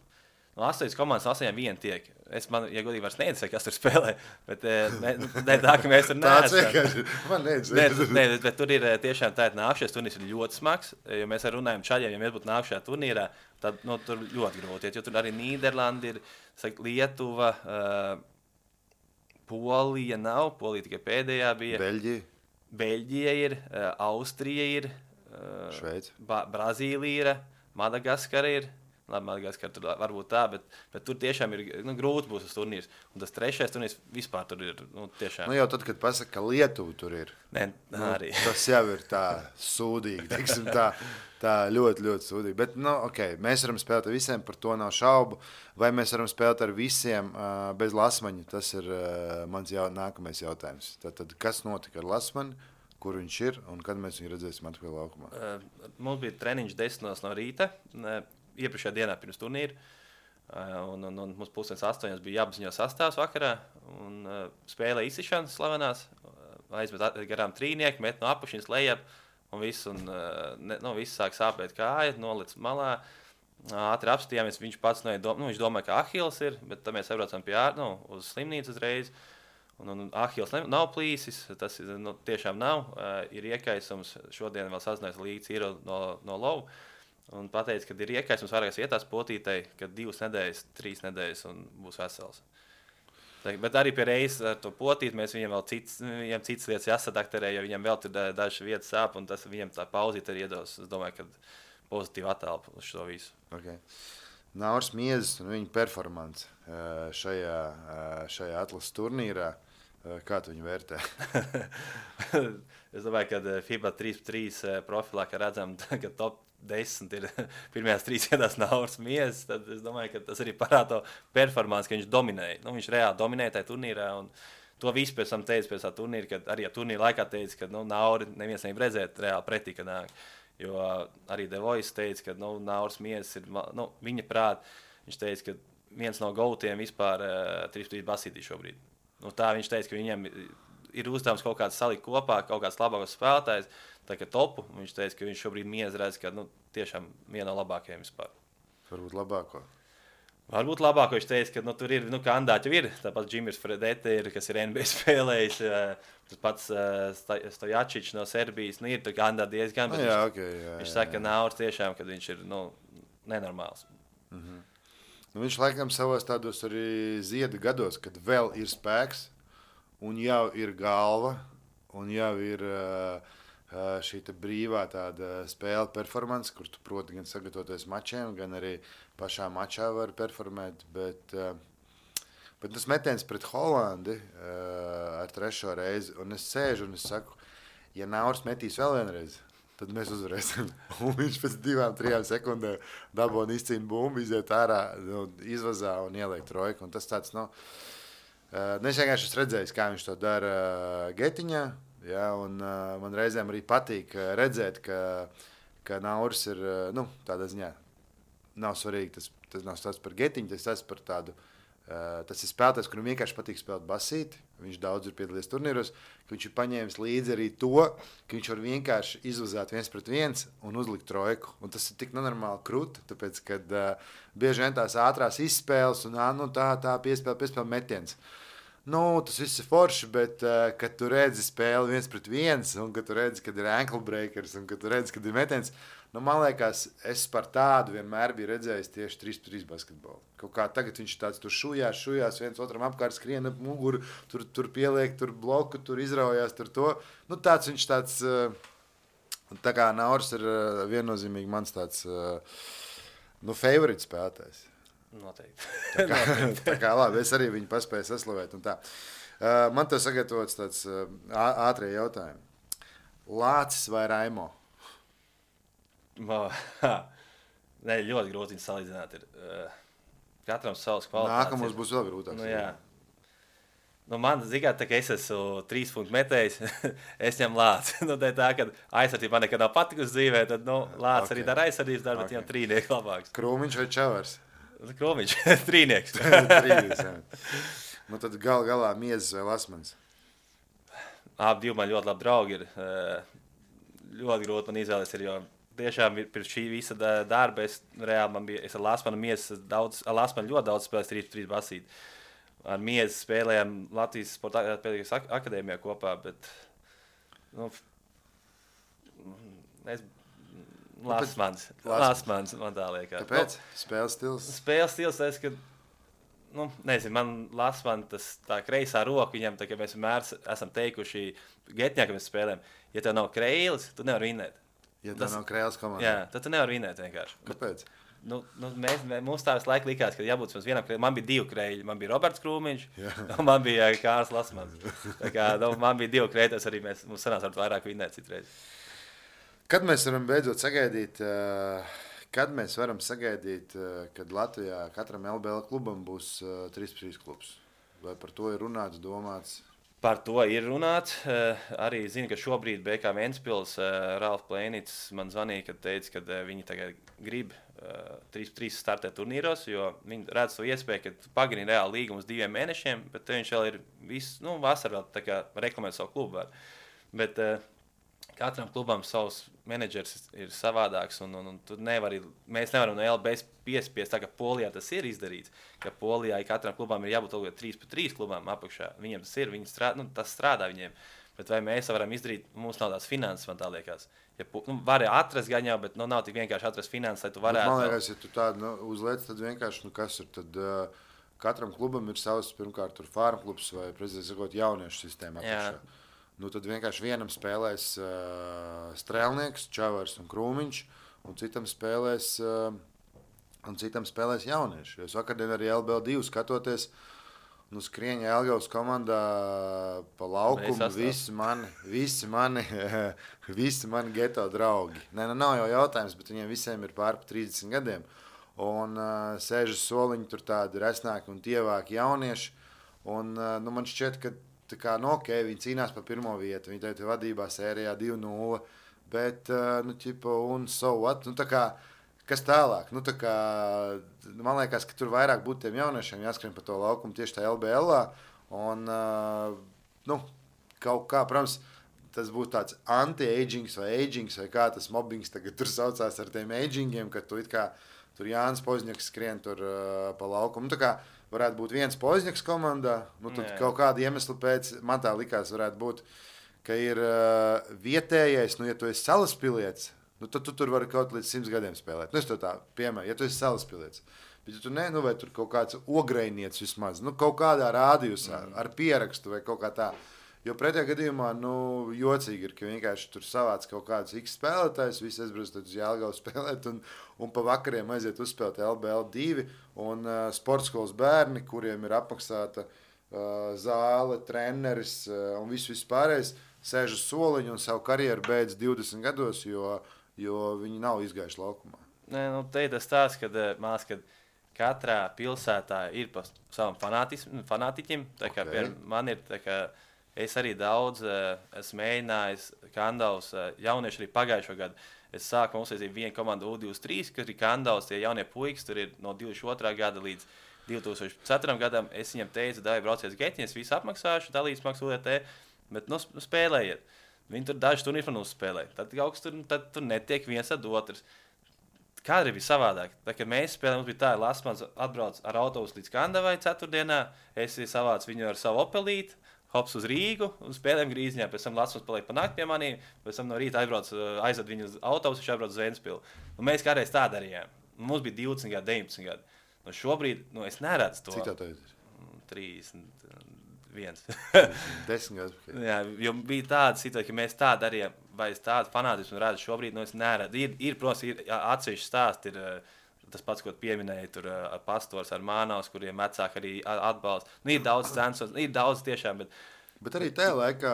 no astoņas komandas astoņiem viena tiek. Es man, ja godīgi, vairs neinteresē, kas tur spēlē, bet uh, ne, ne tā, ka mēs tur neesam. Tāds vienkārši, man neinteresē. Ne, ne, bet, bet tur ir tiešām tā, nākšais turnīrs ir ļoti smags, jo mēs ar runājam čaļiem, ja mēs būtu nākšajā turnīrā, tad nu, tur ļoti grūti, jo tur arī Nīderlanda ir, saka, Lietuva, uh, Polija nav, Polija tikai pēdējā bija. Beļģija. Beļģija ir, uh, Austrija ir, uh, Šveice. Brazīlija ir, Madagaskara ir. Labi, Madagaskara tur varbūt tā, bet, bet tur tiešām ir nu, grūti būs tas turnīrs. Un tas trešais turnīrs vispār tur ir nu, tiešām. Nu jau tad, kad pasaka, ka Lietuva tur ir. Nē, nu, arī. Tas jau ir tā sūdīgi, teiksim, tā, tā ļoti, ļoti sūdīgi. Bet, nu, ok, mēs varam spēlēt ar visiem, par to nav šaubu. Vai mēs varam spēlēt ar visiem uh, bez Lasmaņa? Tas ir uh, mans jau, nākamais jautājums. Tātad, kas notika ar Lasmaņu, kur viņš ir un kad mēs viņu redzēsim atpakaļ laukumā? Uh, mums bija treniņš desmitos no rīta, uh, iepriekšējā dienā pirms turnīra. Uh, un, un, un mums pusdienas astoņos bija jāapziņo sastāvs vakarā. Un, uh, spēlē izsišanas slavenās, uh, aizmet garām trīnieki, met no apakšņas lejap. Un viss, un, uh, ne, nu, viss sāk sāpēt kāja, nolic malā. Ātri apstījāmies, viņš pats nu, nu, viņš domāja, ka Ahils ir, bet tad mēs aizbraucam pie ār, nu, uz slimnīcu uzreiz. Un, un Ahils nav plīsis, tas nu, tiešām nav. Uh, ir iekaisums, šodien vēl sazinājās līdz ir no, no lovu. Un pateica, ka ir iekaisums vairākās vietās potītei, ka divas nedēļas, trīs nedēļas un būs vesels. Tā, bet arī pie reizes ar to potīt mēs viņam vēl cits, viņam cits lietas jāsadakterē, jo viņam vēl tur dažas vietas sāp un tas viņam tā pauzīt arī iedos. Es domāju, ka pozitīva attēlpa uz šo visu. Okay. Nauris Miezis un viņa performance šajā, šajā atlases turnīrā. Kā tu viņu vērtē? Es domāju, ka FIBA trīs pret trīs profilā, ka redzam, ka top desmit ir pirmajās trīs vietās Nauris Miezis, tad es domāju, ka tas arī parāda to performance, ka viņš dominēja. Nu, viņš reāli dominēja tajā turnīrā, un to visu pēc tam teica pēc tā turnīra, kad arī turnīra laikā teica, ka nu, Nauri neviens negrib redzēt reāli pretī, ka nāk. Jo arī The Voice teica, ka nu, Nauris Miezis ir, nu, viņa prāt, viņš teica, ka viens no gautiem vispār uh, trīs pret trīs basītī šobrīd. Nu, tā viņš teica, ka viņam ir uzdevums kaut kāds salikt kopā, kaut kāds labākos spēlētājs, tā kā topu. Viņš teica, ka viņš šobrīd Miezi redz, ka nu, tiešām viena no labākajiem vispār. Varbūt labāko. Varbūt labāko viņš teica, ka nu, tur ir, nu, kandidāti jau ir. Tāpat Džimis Fredete ir, kas ir N B A spēlējis, tas pats Stojačičs no Serbijas, nu, ir tur kandidāti diezgan, bet no, jā, viņš, okay, jā, viņš jā, saka, jā. ka Nauris tiešām, kad viņš ir, nu, nenormāls. Mhm. Nu, viņš laikam savos tādos arī zieda gados, kad vēl ir spēks un jau ir galva un jau ir uh, šī brīvā tāda spēle performance, kur tu proti gan sagatavoties mačiem, gan arī pašā mačā var performēt, bet, uh, bet tas metiens pret Holandi uh, ar trešo reizi, un es sēžu un es saku, ja Nauris metīs vēl vienreiz, tad mēs uzvarēsim. Un viņš pēc divām, trijām sekundēm dabūna izcīna bumbu, iziet ārā, nu, izvazā un ieliek trojku. Un tas tāds, nu, uh, es vienkārši esmu redzējis, kā viņš to dara uh, Getiņā, ja, un uh, man reizēm arī patīk uh, redzēt, ka, ka Nauris ir, uh, nu, tādā ziņā, nav svarīgi, tas, tas nav stāsts par Getiņu, tas tas par tādu, uh, tas ir spēlētājs, kuram vienkārši patīk spēlēt basīti, viņš daudz ir piedalījies turnīros, ka viņš ir paņēmis līdzi arī to, ka viņš var vienkārši izvazāt viens pret viens un uzlikt trojku. Un tas ir tik nenormāli krūti, tāpēc, kad uh, bieži vien tās ātrās izspēles un nu, tā, tā piespēle, piespēle metiens. Nu, tas viss ir forši, bet, uh, kad tu redzi spēli viens pret viens un kad tu redzi, kad ir ankle breakers un kad tu redzi, kad ir metiens, nu, man liekas, es par tādu vienmēr biju redzējis tieši trīs pret trīs basketbolu. Kaut kā tagad viņš tāds tur šujās, šujās, viens otram apkārt skrien ap muguru, tur, tur pieliek, tur bloku, tur izraujās, tur to. Nu, tāds viņš tāds, tā kā Nauris ir viennozīmīgi mans tāds, nu, favorite spēlētājs. Noteikti. Tā kā, tā kā labi, es arī viņu paspēju saslavēt un tā. Man tev sagatavots tāds ātrie jautājumi. Lācis vai Raimo? Nē, ļoti grūti viņu salīdzināt. Ir. Katram savs kvalitātes. Nākamos būs vēl grūtāks. Nu, jā. Nu, man zināmā tā, ka es esmu trīs punktu metējis, es ņemu lāci. Nu, tā, tā, kad aizsardzība man nekad nav patikusi dzīvē, tad nu, lācis okay. arī dara aizsardzības darbu, bet okay. viņam trīnieks labāks. Krūmiņš vai čavars? Krūmiņš, trīnieks. Trīnieks, jā. Nu, tad gal galā miezes vai lasmans? Abi divi man ļoti labi draugi ir. Ļoti grūti man izvēlēties, jo tiešām pirms šī visa darba es reāli man bija, es ar lasmanu miezes daudz, ar lasmanu ļoti daudz spēlēs trīs trīs basīt. Ar miezi spēlējām Latvijas Sporta akadēmijā kopā, bet nu, es lasmans, lasmans man tā liekas. Kāpēc? Nu, spēles stils? Spēles stils, es, ka, nu, nezinu, man lasman tas tā kreisā roka, viņam tā, ka mēs vienmēr esam teikuši Getņā, ka mēs spēlējam, ja tev nav kreilis, tu nevar vinēt. Ja tev tas, nav kreilis komandā? Jā, tad tu nevar vinēt vienkārši. Kāpēc? Nu, nu, mēs, mums tā visu laiku likās, ka jābūt vienam kreilim. Man bija divi kreļi. Man bija Roberts Krūmiņš, un man bija Kārls Lasmans. Tā kā, nu, man bija divi kreļi, tas arī mēs, mums sanāca vairāk vinēt citreiz. Kad mēs varam beidzot sagaidīt, kad mēs varam sagaidīt, kad Latvijā katram L B L klubam būs trīs pret trīs klubs? Vai par to ir runāts, domāts? Par to ir runāts. Arī zinu, ka šobrīd B K Ventspils Ralf Plēnits man zvanīja, kad teica, ka viņi tagad grib trīs pret trīs startēt turnīros, jo viņi redz to iespēju, ka pagarina reāli līgumu uz diviem mēnešiem, bet viņš vēl ir visu, nu, vasarā vēl tā kā reklamēt savu klubu var. Bet uh, katram klubam savs menedžers ir savādāks, un, un, un tu nevari, mēs nevaram no L B piespiest, tā kā Polijā tas ir izdarīts, ka Polijā katram klubam ir jābūt trīs pret trīs klubam apakšā. Viņiem tas ir, viņi strādā, nu, tas strādā viņiem. Bet vai mēs varam izdarīt, mums nav tās finanses, man tā liekas. Ja, nu, vari atrast gan jau, bet nu, nav tik vienkārši atrast finanses, lai tu varētu. Man liekas, ja tu tādu nu, uzliec, tad vienkārši, nu kas ir, tad uh, katram klubam ir savs, pirmkārt, tur farm klubs vai, prezidents sakot, jauniešu sistēma apakšā. Nu, tad vienkārši vienam spēlēs uh, Strēlnieks, Čavars un Krūmiņš, un citam spēlēs, uh, un citam spēlēs jaunieši. Jo es vakardien arī L B L divi skatoties, nu, skrieņa Elgavas komandā pa laukumu, visi mani, visi mani, visi mani geto draugi. Nē, nu, nav jau jautājums, bet viņiem visiem ir pār pa trīsdesmit gadiem. Un uh, sēžas soliņi tur tādi resnāki un tievāki jaunieši. Un uh, nu, man šķiet, ka tā kā, nu, ok, viņi cīnās par pirmo vietu, viņi tev vadībā sērijā divi nulle, bet, uh, nu, ķipa, un so what, nu, tā kā, kas tālāk? Nu, tā kā, man liekas, ka tur vairāk būtu tiem jauniešiem jāskrien pa to laukumu tieši tā L B L-ā. Un, uh, nu, kaut kā, protams, tas būtu tāds anti-agings vai agings vai kā tas mobbings tagad tur saucās ar tiem agingiem, ka tu it kā tur Jānis Pozņaks skrien tur uh, pa laukumu. Nu, tā kā varētu būt viens Pozņaks komandā, nu, tad Jā. Kaut kādu iemeslu pēc, man tā likās, varētu būt, ka ir uh, vietējais, nu, ja tu esi salaspilietis, nu, tad tu tur vari kaut līdz simts gadiem spēlēt. Nu, es to tā piemēru, ja tu esi salaspilietis. Bet ja tu ne, nu, vai tur kaut kāds ograinietis vismaz, nu, kaut kādā rādījusā, mm. ar pierakstu vai kaut kā tā. Jo pretējā gadījumā, nu, jocīgi ir, ka vienkārši tur savāc kaut kāds X spēlētājs, visi aizbrauc uz Jelgavu spēlēt un, un pa vakariem aiziet uzspēlēt L B L divi un uh, sportskolas bērni, kuriem ir apmaksāta uh, zāle, treneris uh, un viss viss pārējais, sēž uz soliņu un savu karjeru beidz divdesmit gados, jo, jo viņi nav izgājuši laukumā. Nē, nu, te ir tas tās, kad, mās, kad katrā pilsētā ir pa savam fanātiķim, tā kā okay. pie, man ir tā kā es arī daudz uh, esmu mēģinājis, Kandavs, uh, jaunieši arī pagājušo gadu. Es sāku mums aiziet vienu komandu U divdesmit trīs, kas ir Kandavs, tie jaunie puikas, tur ir no divdesmit otrā gada līdz divi tūkstoši četrām gadam. Es viņam teicu, dāj, braucies Getņas, visu apmaksāšu, dalīs maksu U D T, bet nu, spēlējiet. Viņi tur daži turnīri man uzspēlēja. Tad kaut kas tur, tad tur netiek viens ar otrs. Kādreiz bija savādāk. Tā, kad mēs spēlējām, mums bija tā, Lasmans atbrauc ar autobusu līdz Kandavai ceturtdienā, es savācu viņu ar savu opelīti, hops uz Rīgu un spēlējām Grīziņā. Pēc tam Lasmans paliek pa nakti pie manī, pēc tam no rīta aizbrauc, aizved viņu uz autobusu, viņš aizbrauc uz Ventspilu. Un mēs kādreiz tā darījām. Mums bija divdesmit gadi, deviņpadsmit gadi. Nu, šobrīd, nu, es neredzu to. Cik tā tev ir? trīsdesmit viens. Desmit gadi. Jā, jo bija tāda situācija, ka mēs tā darījām, vai es tādu fanātismu redzu šobrīd, nu, es neredzu. Ir, ir protams, ir atsevišķi stāsti, ir tas pats, ko pieminēja, tur ar Pastors, ar Mānaus, kuriem vecāki arī atbalsta. Nu, ir daudz censos, ir daudz tiešām, bet... Bet arī tajā laikā...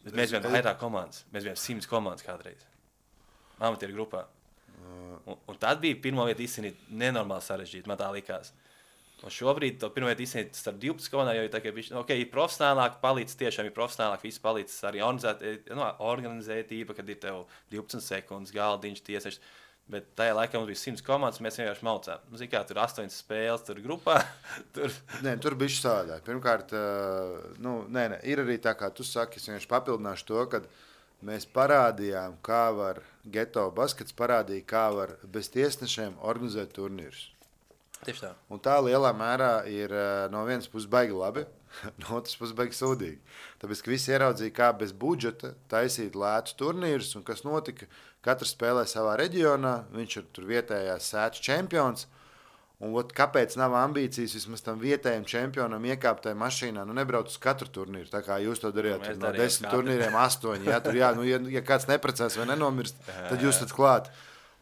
Bet mēs bijām vairāk komandas, mēs bijām simts komandas kādreiz. Amatieru grupā. Un, un tad bija pirmo vietu izcīnīt nenormāli sarežģīt, man tā likās. Un šobrīd to pirmā izsniegt starp divpadsmit komandām, jo tā kā viņš, ok, ir profesionālāk palīdz, tiešām ir profesionālāk, viss palīdz arī organizēt, no, organizētība, kad ir tev divpadsmit sekundes, galdiņš, tiesešs. Bet tajā laikā mums bija simts komandas, mēs vienkārši maucām. Nu, zin kā, tur astoņas spēles, tur grupā. tur... Nē, tur bija savādāk. Pirmkārt, nu, nē, nē, ir arī tā, kā tu saki, es vienkārši papildināšu to, ka mēs parādījām, kā var Geto baskets parādīja, kā var bez tiesnešiem organizēt turnīrus. Tieši tā. Un tā lielā mērā ir no vienas puses baigi labi, no otras puses baigi sūdīgi. Tāpēc, ka visi ieraudzīja, kā bez budžeta taisīt lētus turnīrus, un kas notika, katrs spēlē savā reģionā, viņš ir tur vietējās sēču čempions, un ot, kāpēc nav ambīcijas vismaz tam vietējiem čempionam iekāpt tajā mašīnā, nu nebrauc uz katru turnīru, tā kā jūs to darījāt, no desmit turnīriem astoņi, jā, tur jā, nu, ja, ja kāds neprecēs vai nenomirst, tad jūs tad klāt.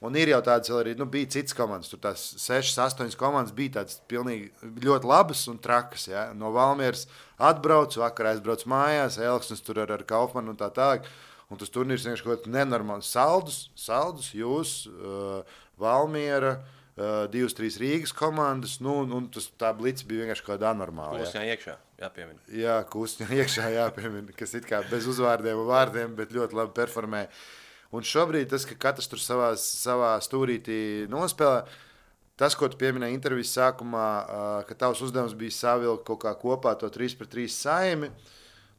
Un ir jau tādas vēl arī, nu, bija citas komandas, tur tās sešas, astoņas komandas bija tādas pilnīgi ļoti labas un trakas, ja? No Valmieras atbrauc, vakar aizbrauc mājās, Elksnis tur ar, ar Kaufmanu un tā tālāk, un tas turnīrs vienkārši kaut nenormāls saldus, saldus, jūs, uh, Valmiera, uh, divas, trīs Rīgas komandas, nu, un tas tā blitz bija vienkārši kaut kāda anormāla. Kusņā iekšā, jāpiemina. Jā, kusņā iekšā jāpiemina, kas it kā bez uzvārdiem un vārdiem, bet ļoti labi performē. Un šobrīd tas, ka katrs tur savā, savā stūrītī nospēlē, tas, ko tu pieminēji intervijas sākumā, ka tavs uzdevums bija savilkt kaut kā kopā to trīs pret trīs saimi,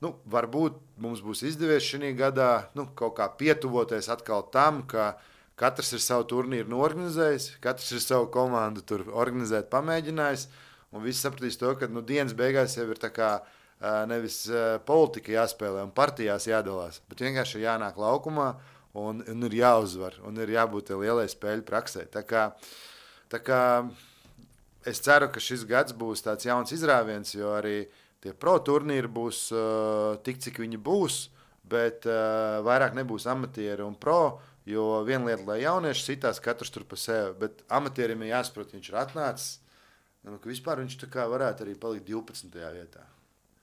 nu, varbūt mums būs izdevies šī gadā nu, kaut kā pietuvoties atkal tam, ka katrs ir savu turnīru norganizējis, katrs ir savu komandu tur organizēt pamēģinājis, un visi sapratīs to, ka nu, dienas beigās jau ir tā kā nevis politika jāspēlē un partijās jādalās, bet vienkārši ir jānāk laukumā, Un, un ir jāuzvar, un ir jābūt lielai spēļu praksē. Tā kā, tā kā es ceru, ka šis gads būs tāds jauns izrāviens, jo arī tie pro turnīri būs uh, tik, cik viņi būs, bet uh, vairāk nebūs amatieri un pro, jo viena lieta, lai jaunieši sitās katrs tur pa sevi, bet amatierim ir jāsaprot, viņš ir atnācis, nu, ka vispār viņš tā kā varētu arī palikt divpadsmitajā vietā.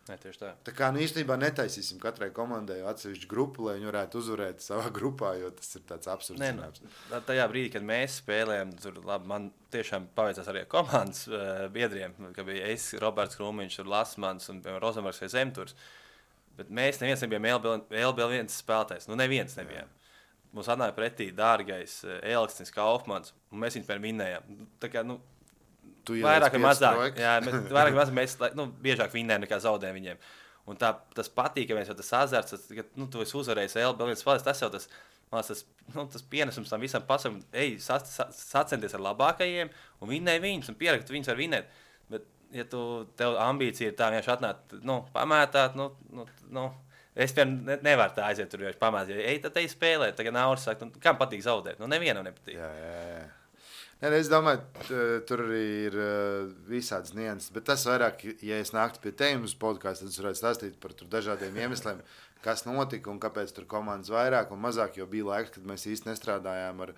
Ne, tieši tā. Tā kā nu, īstenībā netaisīsim katrai komandai atsevišķu grupu, lai viņi varētu uzvarēt savā grupā, jo tas ir tāds absurds. Nē, nu, tajā brīdī, kad mēs spēlējām, tur labi, man tiešām paveicās arī komandas uh, biedriem, ka bija es, Roberts Krūmiņš, Lasmans un Rozenbergs vai Zemturs. Bet mēs neviens nebijām L B L viens spēlētājs. Nu, neviens nebijām. Jā. Mums atnāja pretī dārgais Elksnis Kaufmans, un mēs viņu pēc vinnējām. Tā kā, nu, vairāk vai mazāk, jā, vairāk vai mazāk mēs nu, biežāk vinnējam nekā zaudējam viņiem. Un tā, tas patīkamais, jo tas azarts, ka nu, tu esi uzvarējis L B L viens spēlēs, tas jau tas, man, tas, nu, tas pienesums tam visam pasaulim, ej, sac, sac, sacenties ar labākajiem un vinnēji viņus un pierakt, viņus var vinnēt. Bet, ja tu, tev ambīcija ir tā vienkārši atnāt, nu, pamētāt, nu, nu, nu es piemēram ne, nevaru tā aiziet tur vienkārši pamētāt. Ej, tad ej spēlēt, tagad Nauris saka, nu, kam patīk zaudēt? Nu, nevienam nepatīk. Jā, jā, jā. Nē, es domāju, tur arī ir visādas nianses, bet tas vairāk, ja es nāktu pie tevis uz podcastu, tad es varētu stāstīt par dažādiem iemesliem, kas notika un kāpēc tur komandas vairāk un mazāk, jo bija laiks, kad mēs īsti nestrādājām ar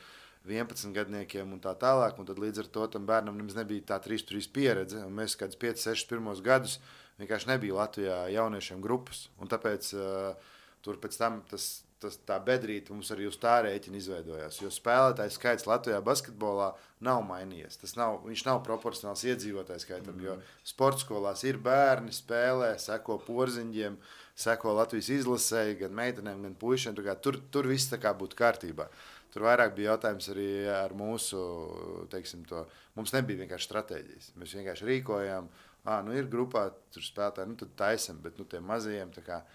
vienpadsmit gadniekiem un tā tālāk, un tad līdz ar to tam bērnam nemaz nebija tā trīs trīs pieredze, un mēs kādus pieci seši pirmos gadus vienkārši nebija Latvijā jauniešiem grupas, un tāpēc uh, tur pēc tam tas Tas, tā bedrīte mums arī uz tā rēķina izveidojās, jo spēlētājs skaits Latvijā basketbolā nav mainījies. Tas nav, viņš nav proporcionāls iedzīvotājs skaitam, mm. jo sporta skolās ir bērni, spēlē, seko porziņģiem, seko Latvijas izlasēji, gan meitenēm, gan puišiem. Tur, tur viss tā kā būtu kārtībā. Tur vairāk bija jautājums arī ar mūsu, teiksim to, mums nebija vienkārši stratēģijas. Mēs vienkārši rīkojām, ā, nu ir grupā, tur spēlētāji, nu tad taisam, bet nu tiem mazajiem tā kā.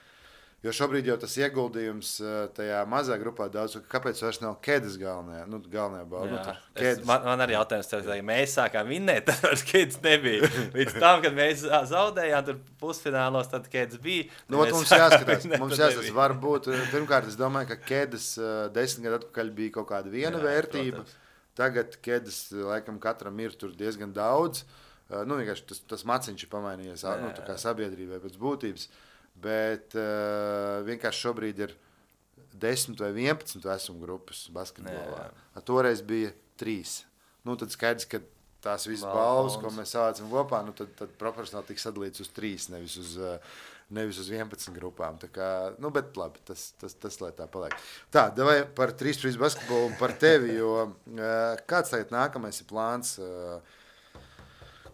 Jo šobrīd jau tas ieguldījums tajā mazā grupā daudz, kāpēc vairs nav Kedas galvenajā, nu, galvenajā balva. Nu, es, man, man arī jautājums, tev, ja mēs sākām vinnēt, tad vairs Kedas nebija. Līdz tam, kad mēs zaudējām tur pusfinālos, tad Kedas bija. Nu, mums jāskatās, mums jāskatās, varbūt, pirmkārt, es domāju, ka Kedas desmit gadu atpakaļ bija kaut kāda viena Jā, vērtība. Protams. Tagad Kedas, laikam, katram ir tur diezgan daudz. Nu, vienkārši tas, tas maciņš ir pamainījies, Jā. nu, tā kā sabiedrībai pēc būtības. Bet uh, vienkārši šobrīd ir desmit vai vienpadsmit vecuma grupas basketbolā. A, toreiz bija trīs. Nu, tad skaidrs, ka tās visas balvas, ko mēs savācam kopā, nu, tad, tad proporcionāli tika sadalīts uz trīs, nevis uz, nevis uz vienpadsmit grupām. Tā kā, nu, bet labi, tas, tas, tas lai tā paliek. Tā, davai par trīs trīs basketbolu un par tevi, jo uh, kāds tagad nākamais ir plāns? Uh,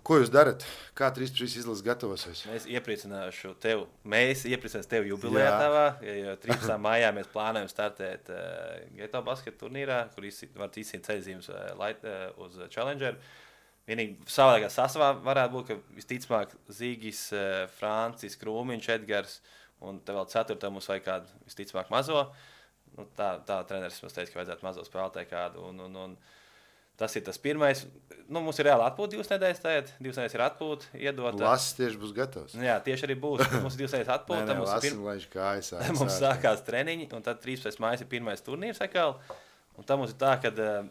Ko jūs darat? Kā trīs pret trīs izlases gatavosies? Mēs iepriecināšu tevi. Mēs iepriecināsim tevi jubilejā tavā. Jo trīspadsmitajā maijā mēs plānojam startēt uh, Geto basketu turnīrā, kur var izcīt ceļzīmes uh, light, uh, uz Challenger. Vienīgi savādākā sastāvā varētu būt, ka visticamāk Zīgis, uh, Francis, Krūmiņš, Edgars un te vēl ceturtā mums vajag kādu visticamāk mazo. Nu, tā, tā treneris mums teica, ka vajadzētu mazo spēlētāju kādu. Un, un, un, tas ir tas pirmais. Nu, mums ir reāli atpūta divas nedēļas tagad. Divas nedēļas ir atpūta, iedota. Lasis tieši būs gatavs. Jā, tieši arī būs. Mums ir divas nedēļas atpūta. Nē, nē, mums lasim, pir... laiž kājas. mums sākās treniņi, un tad trīspadsmitais maijs ir pirmais turnīrs atkal. Un tad mums ir tā, ka uh,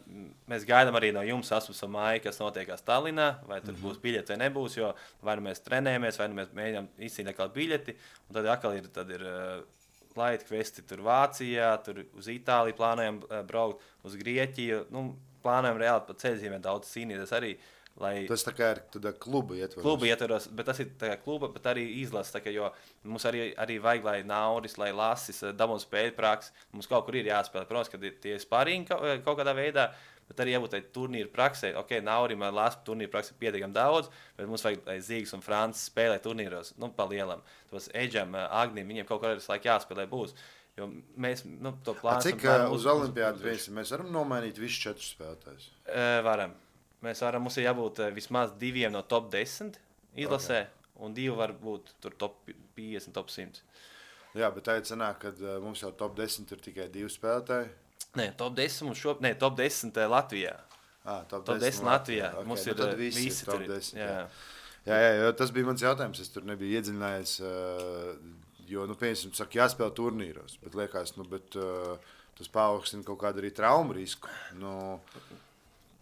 mēs gaidām arī no jums astoņpadsmitajā maijā, kas notiekās Tallinā, vai tur mm -hmm. būs biļeti vai nebūs, jo vai nu mēs trenējamies, vai nu mēs mēģinām izcīnīt atkal biļeti, un tad atkal ir, tad ir uh, light kvesti tur Vācijā, tur uz Itāliju plānojam uh, braukt, uz Grieķiju, nu, plānojam reāli pa ceļzīmēm daudz cīnīties arī. Lai tas tā kā ir tādā kluba ietvaros. Kluba ietvaros, bet tas ir tā kā kluba, bet arī izlases, tā kā, jo mums arī, arī vajag, lai Nauris, lai Lasis, dabūtu spēļu praksi. Mums kaut kur ir jāspēlē, protams, kad ir tie spārīgi kaut, kaut kādā veidā, bet arī jābūt tai turnīru praksē. Ok, Naurim un Lasim turnīru praksi ir pietiekami daudz, bet mums vajag, lai Zīgs un Francis spēlē turnīros, nu, pa lielam. Tos Eģam, Agnim, viņiem kaut kādā laikā jāspēlē būs. Jo mēs, nu, to plānojam. Cik plānu uz Olimpiādu viesi mēs varam nomainīt visus četrus spēlētājus? E, varam. Mēs varam, mums ir jābūt vismaz diviem no top desmit izlasē, okay. Un divi var būt tur top piecdesmit, top simt. Jā, bet tā ir sanāk, ka uh, mums jau top desmit ir tikai divi spēlētāji. Nē, top desmit mums šo, nē, top desmit Latvijā. Ah, top, top desmit Latvijā. Okay. Mums nu, ir tad visi, visi ir top tur. desmit. Jā. Jā. Jā, jā, jo tas bija mans jautājums. Es tur nebiju iedziļinājies, uh, jo, nu, piemēram, saka, jāspēlē turnīros, bet liekas, nu, bet uh, tas paaugstina kaut kādu arī traumu risku. Nu,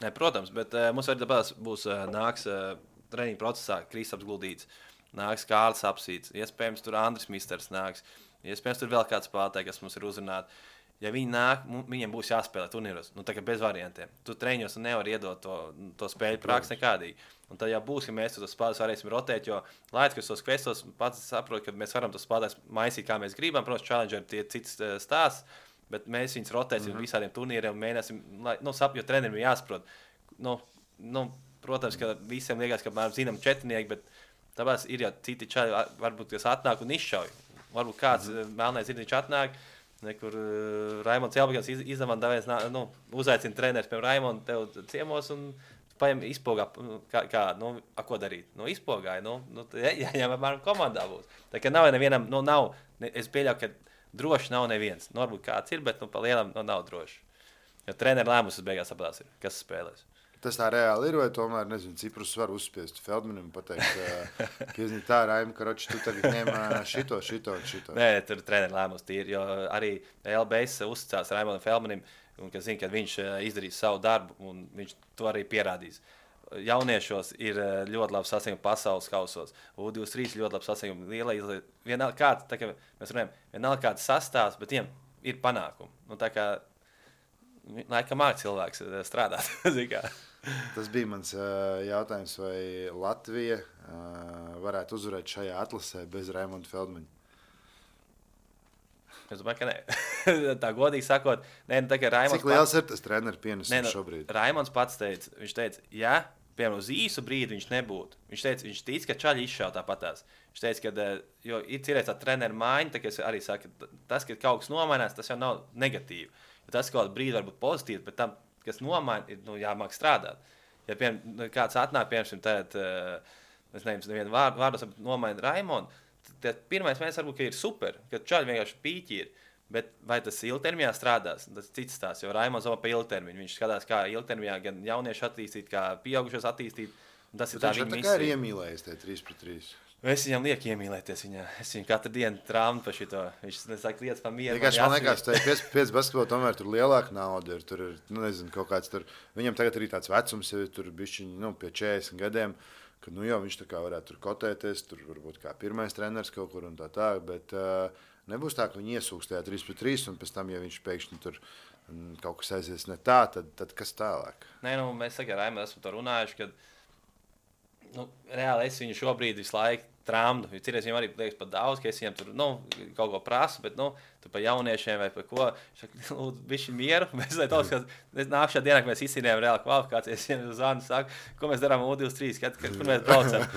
Ne, protams, bet uh, mums arī tāpēc būs uh, nāks uh, treniņu procesā Kristaps Guldīts, nāks Kārlis Apsīts, iespējams tur Andris Misters nāks, iespējams tur vēl kāds spēlētāji, kas mums ir uzrunāti. Ja viņi nāk, viņiem būs jāspēlē turnīros, nu tā kā bez variantiem. Tu treniņos nevar iedot to, to spēļu praksi nekādīgi. Un tad jau būs, ka mēs tos spēlētājus varēsim rotēt, jo Latvijas, kas tos kvestos pats saprot, ka mēs varam tos spēlētājus maisīt, kā mēs gribam. Protams, Challenger ir tie cits stāsts. Bet mēs viņus rotēsim mm -hmm. visādiem turnīriem un mēģināsim, lai, nu, sap, jo trenerim ir jāsaprot. Nu, nu, protams, ka visiem liekas, ka mēs zinām četrnieki, bet tāpēc ir jau citi čaļi, varbūt, kas atnāk un izšauj. Varbūt kāds mm -hmm. melnais zirniņš atnāk, nekur uh, Raimonds Jelbagans iz, izdevām davēs, nu, uzaicina treneris, piemēram, Raimondu tev ciemos un paņem izpogā, kā, kā nu, a, ko darīt? Nu, izpogāja, nu, nu jā, jā, apmēram komandā būs. Tā kā nav nevienam, nu, nav, ne, es pieļauju, ka droši nav neviens. Nu, varbūt kāds ir, bet nu, pa lielam nu, nav droši. Jo treneru lēmums beigās sapratās, ir, kas spēlēs. Tas tā reāli ir, vai tomēr, nezinu, Ciprus var uzspiest Feldmanim un pateikt, ka, ka iznīt tā, Raim, karoči, tu tagad ņem šito, šito un šito. Nē, tur treneru lēmums tīri, jo arī L B S uzticās Raimondam Feldmanim, un ka zina, ka viņš izdarīs savu darbu, un viņš to arī pierādīs. Jauniešos ir ļoti labi sasniegumi pasaules kausos. U divdesmit trīs ļoti labi sasniegumi. Liela izlaiž. Vienalga kāds, tā kā mēs runājam, vienalga kāds sastāvs, bet viņiem ir panākumi. Nu, tā kā, laikam māk cilvēks strādāt. Tas bija mans uh, jautājums, vai Latvija uh, varētu uzvarēt šajā atlasē bez Raimonda Feldmaņa? Es domāju, ka nē. Tā godīgi sakot, nē, nu, tā kā Raimonds... Cik liels pats... ir tas treneru pienesums nu, šobrīd? Raimonds pats teica, viņš teica, ja, piemēram, uz īsu brīdi viņš nebūtu. Viņš teica, viņš tic, ka čaļi izšauj tāpatās. Viņš teica, ka, jo ir cerēts tā treneru maiņa, tā kā es arī saku, tas, ka kaut kas nomainās, tas jau nav negatīvi. Jo tas kaut kādā brīdī var būt pozitīvs, bet tam, kas nomaina, ir nu, jāmāk strādāt. Ja, piemēram, kāds atnāk, piemēram, tad, es nezinu, nevienu vārdu, vārdos nomaina Raimondu, tad pirmais mēs varbūt, ka ir super, ka čaļi vienkārši pīķi ir. Bet vai tas ilgtermiņā strādās? Tas cits tās, jo Raimonds domā par ilgtermiņu. Viņš skatās, kā ilgtermiņā gan jaunieši attīstīt, kā pieaugušos attīstīt. Tas ir tā viņa misija. Tā kā ir iemīlējies tie trīs pret trīs. Es viņam lieku iemīlēties viņā. Es viņu katru dienu trāmu par šito. Viņš nesaka lietas par mieru. Vienkārši man liekas, ka pieci basketbolā tomēr tur lielāka nauda ir. Tur ir, nu nezinu, kaut kāds tur. Viņam tagad arī tāds vecums ir, tur bišķiņi, nu, pie četrdesmit gadiem. Ka, nu jau viņš tā kā varētu tur kotēties, tur varbūt kā pirmais treneris kaut kur un tā tā, bet uh, nebūs tā, ka viņi iesūks tajā trīs pret trīs un pēc tam, ja viņš pēkšņi tur m, kaut kas aizies ne tā, tad, tad kas tālāk? Nē, nu, mēs saka, Raimond, esmu to runājuši, kad nu, reāli es viņu šobrīd visu laiku tramdu. Citreiz viņam arī liekas pat daudz, ka es viņam tur nu, kaut ko prasu, bet nu, tu pa jauniešiem vai pa ko. Lūdzu, bišķi mieru. Mēs tos, ka nākšā dienā, kad mēs izcīnījām reāli kvalifikācijas, es viņam zvanu, saku, ko mēs darām U divdesmit trīs, kad, kur mēs braucam.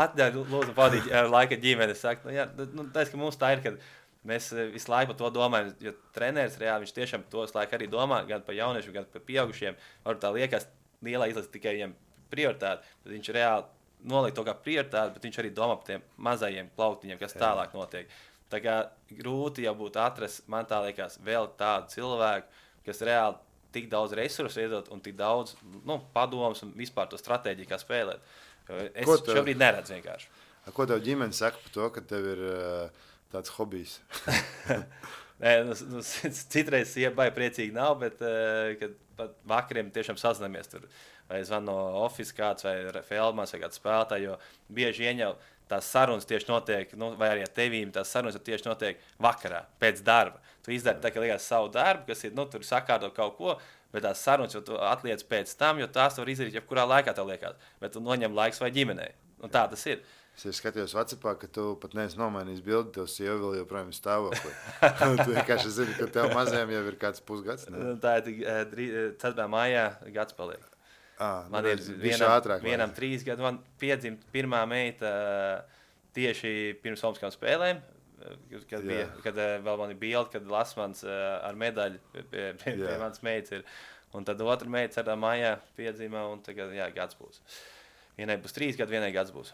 Atļauj, lūdzu, pavadīt laika ģimeni. Saku, nu, jā, nu, tais, ka mums tā ir, kad mēs visu laiku par to domājam, jo treneris reāli viņš tiešām tos laiku arī domā, gan par jauniešiem, gan par pieaugušiem. Varbūt tā liekas lielā izlase tikai viņam prioritāte, bet viņš reāli noliek to kā prioritāti, bet viņš arī domā par tiem mazajiem plauktiņiem, kas tālāk notiek. Tā kā grūti jau būtu atrast, man tā liekas, vēl tādu cilvēku, kas reāli tik daudz resursu iedot un tik daudz nu, padomus un vispār to stratēģiju, kā spēlēt. Es tev, šobrīd neredzu vienkārši. Ko tev ģimene saka par to, ka tev ir uh, tāds hobijs? Nē, nu, nu, citreiz iebai priecīgi nav, bet uh, kad pat vakariem tiešām sazināmies tur. Vai zvanu no oficiāla kāds vai Feldmans vai kāds spēlētājs, jo bieži vien jau tās sarunas tieši notiek, nu, vai arī ar tevīm tās sarunas tieši notiek vakarā, pēc darba. Tu izdari tā, ka liekas savu darbu, kas ir, nu, tur sakārto kaut ko, bet tās sarunas jau tu atliec pēc tam, jo tās var izdarīt jebkurā laikā tev liekas, bet tu noņem laiks vai ģimenei. Un tā tas ir. Es skatījos WhatsAppā, ka tu pat neesi nomainījis bildi, tev sieva vēl joprojām ir stāvoklī. Tu vienkārši zini, ka tev mazajam jau ir kāds pusgads. Ne? Tā ir ceturtajā maijā gads paliek. À, man ir vienam, ātrāk, vienam trīs gadu, man piedzima pirmā meita tieši pirms Olimpiskām spēlēm, kad, bija, kad vēl man ir bilde, kad Lasmans ar medaļu pie, pie, pie, pie manas meitas ir. Un tad otra meita ceturtajā maijā piedzima, un tagad, jā, gads būs. Vienai būs trīs gadi, vienai gads būs.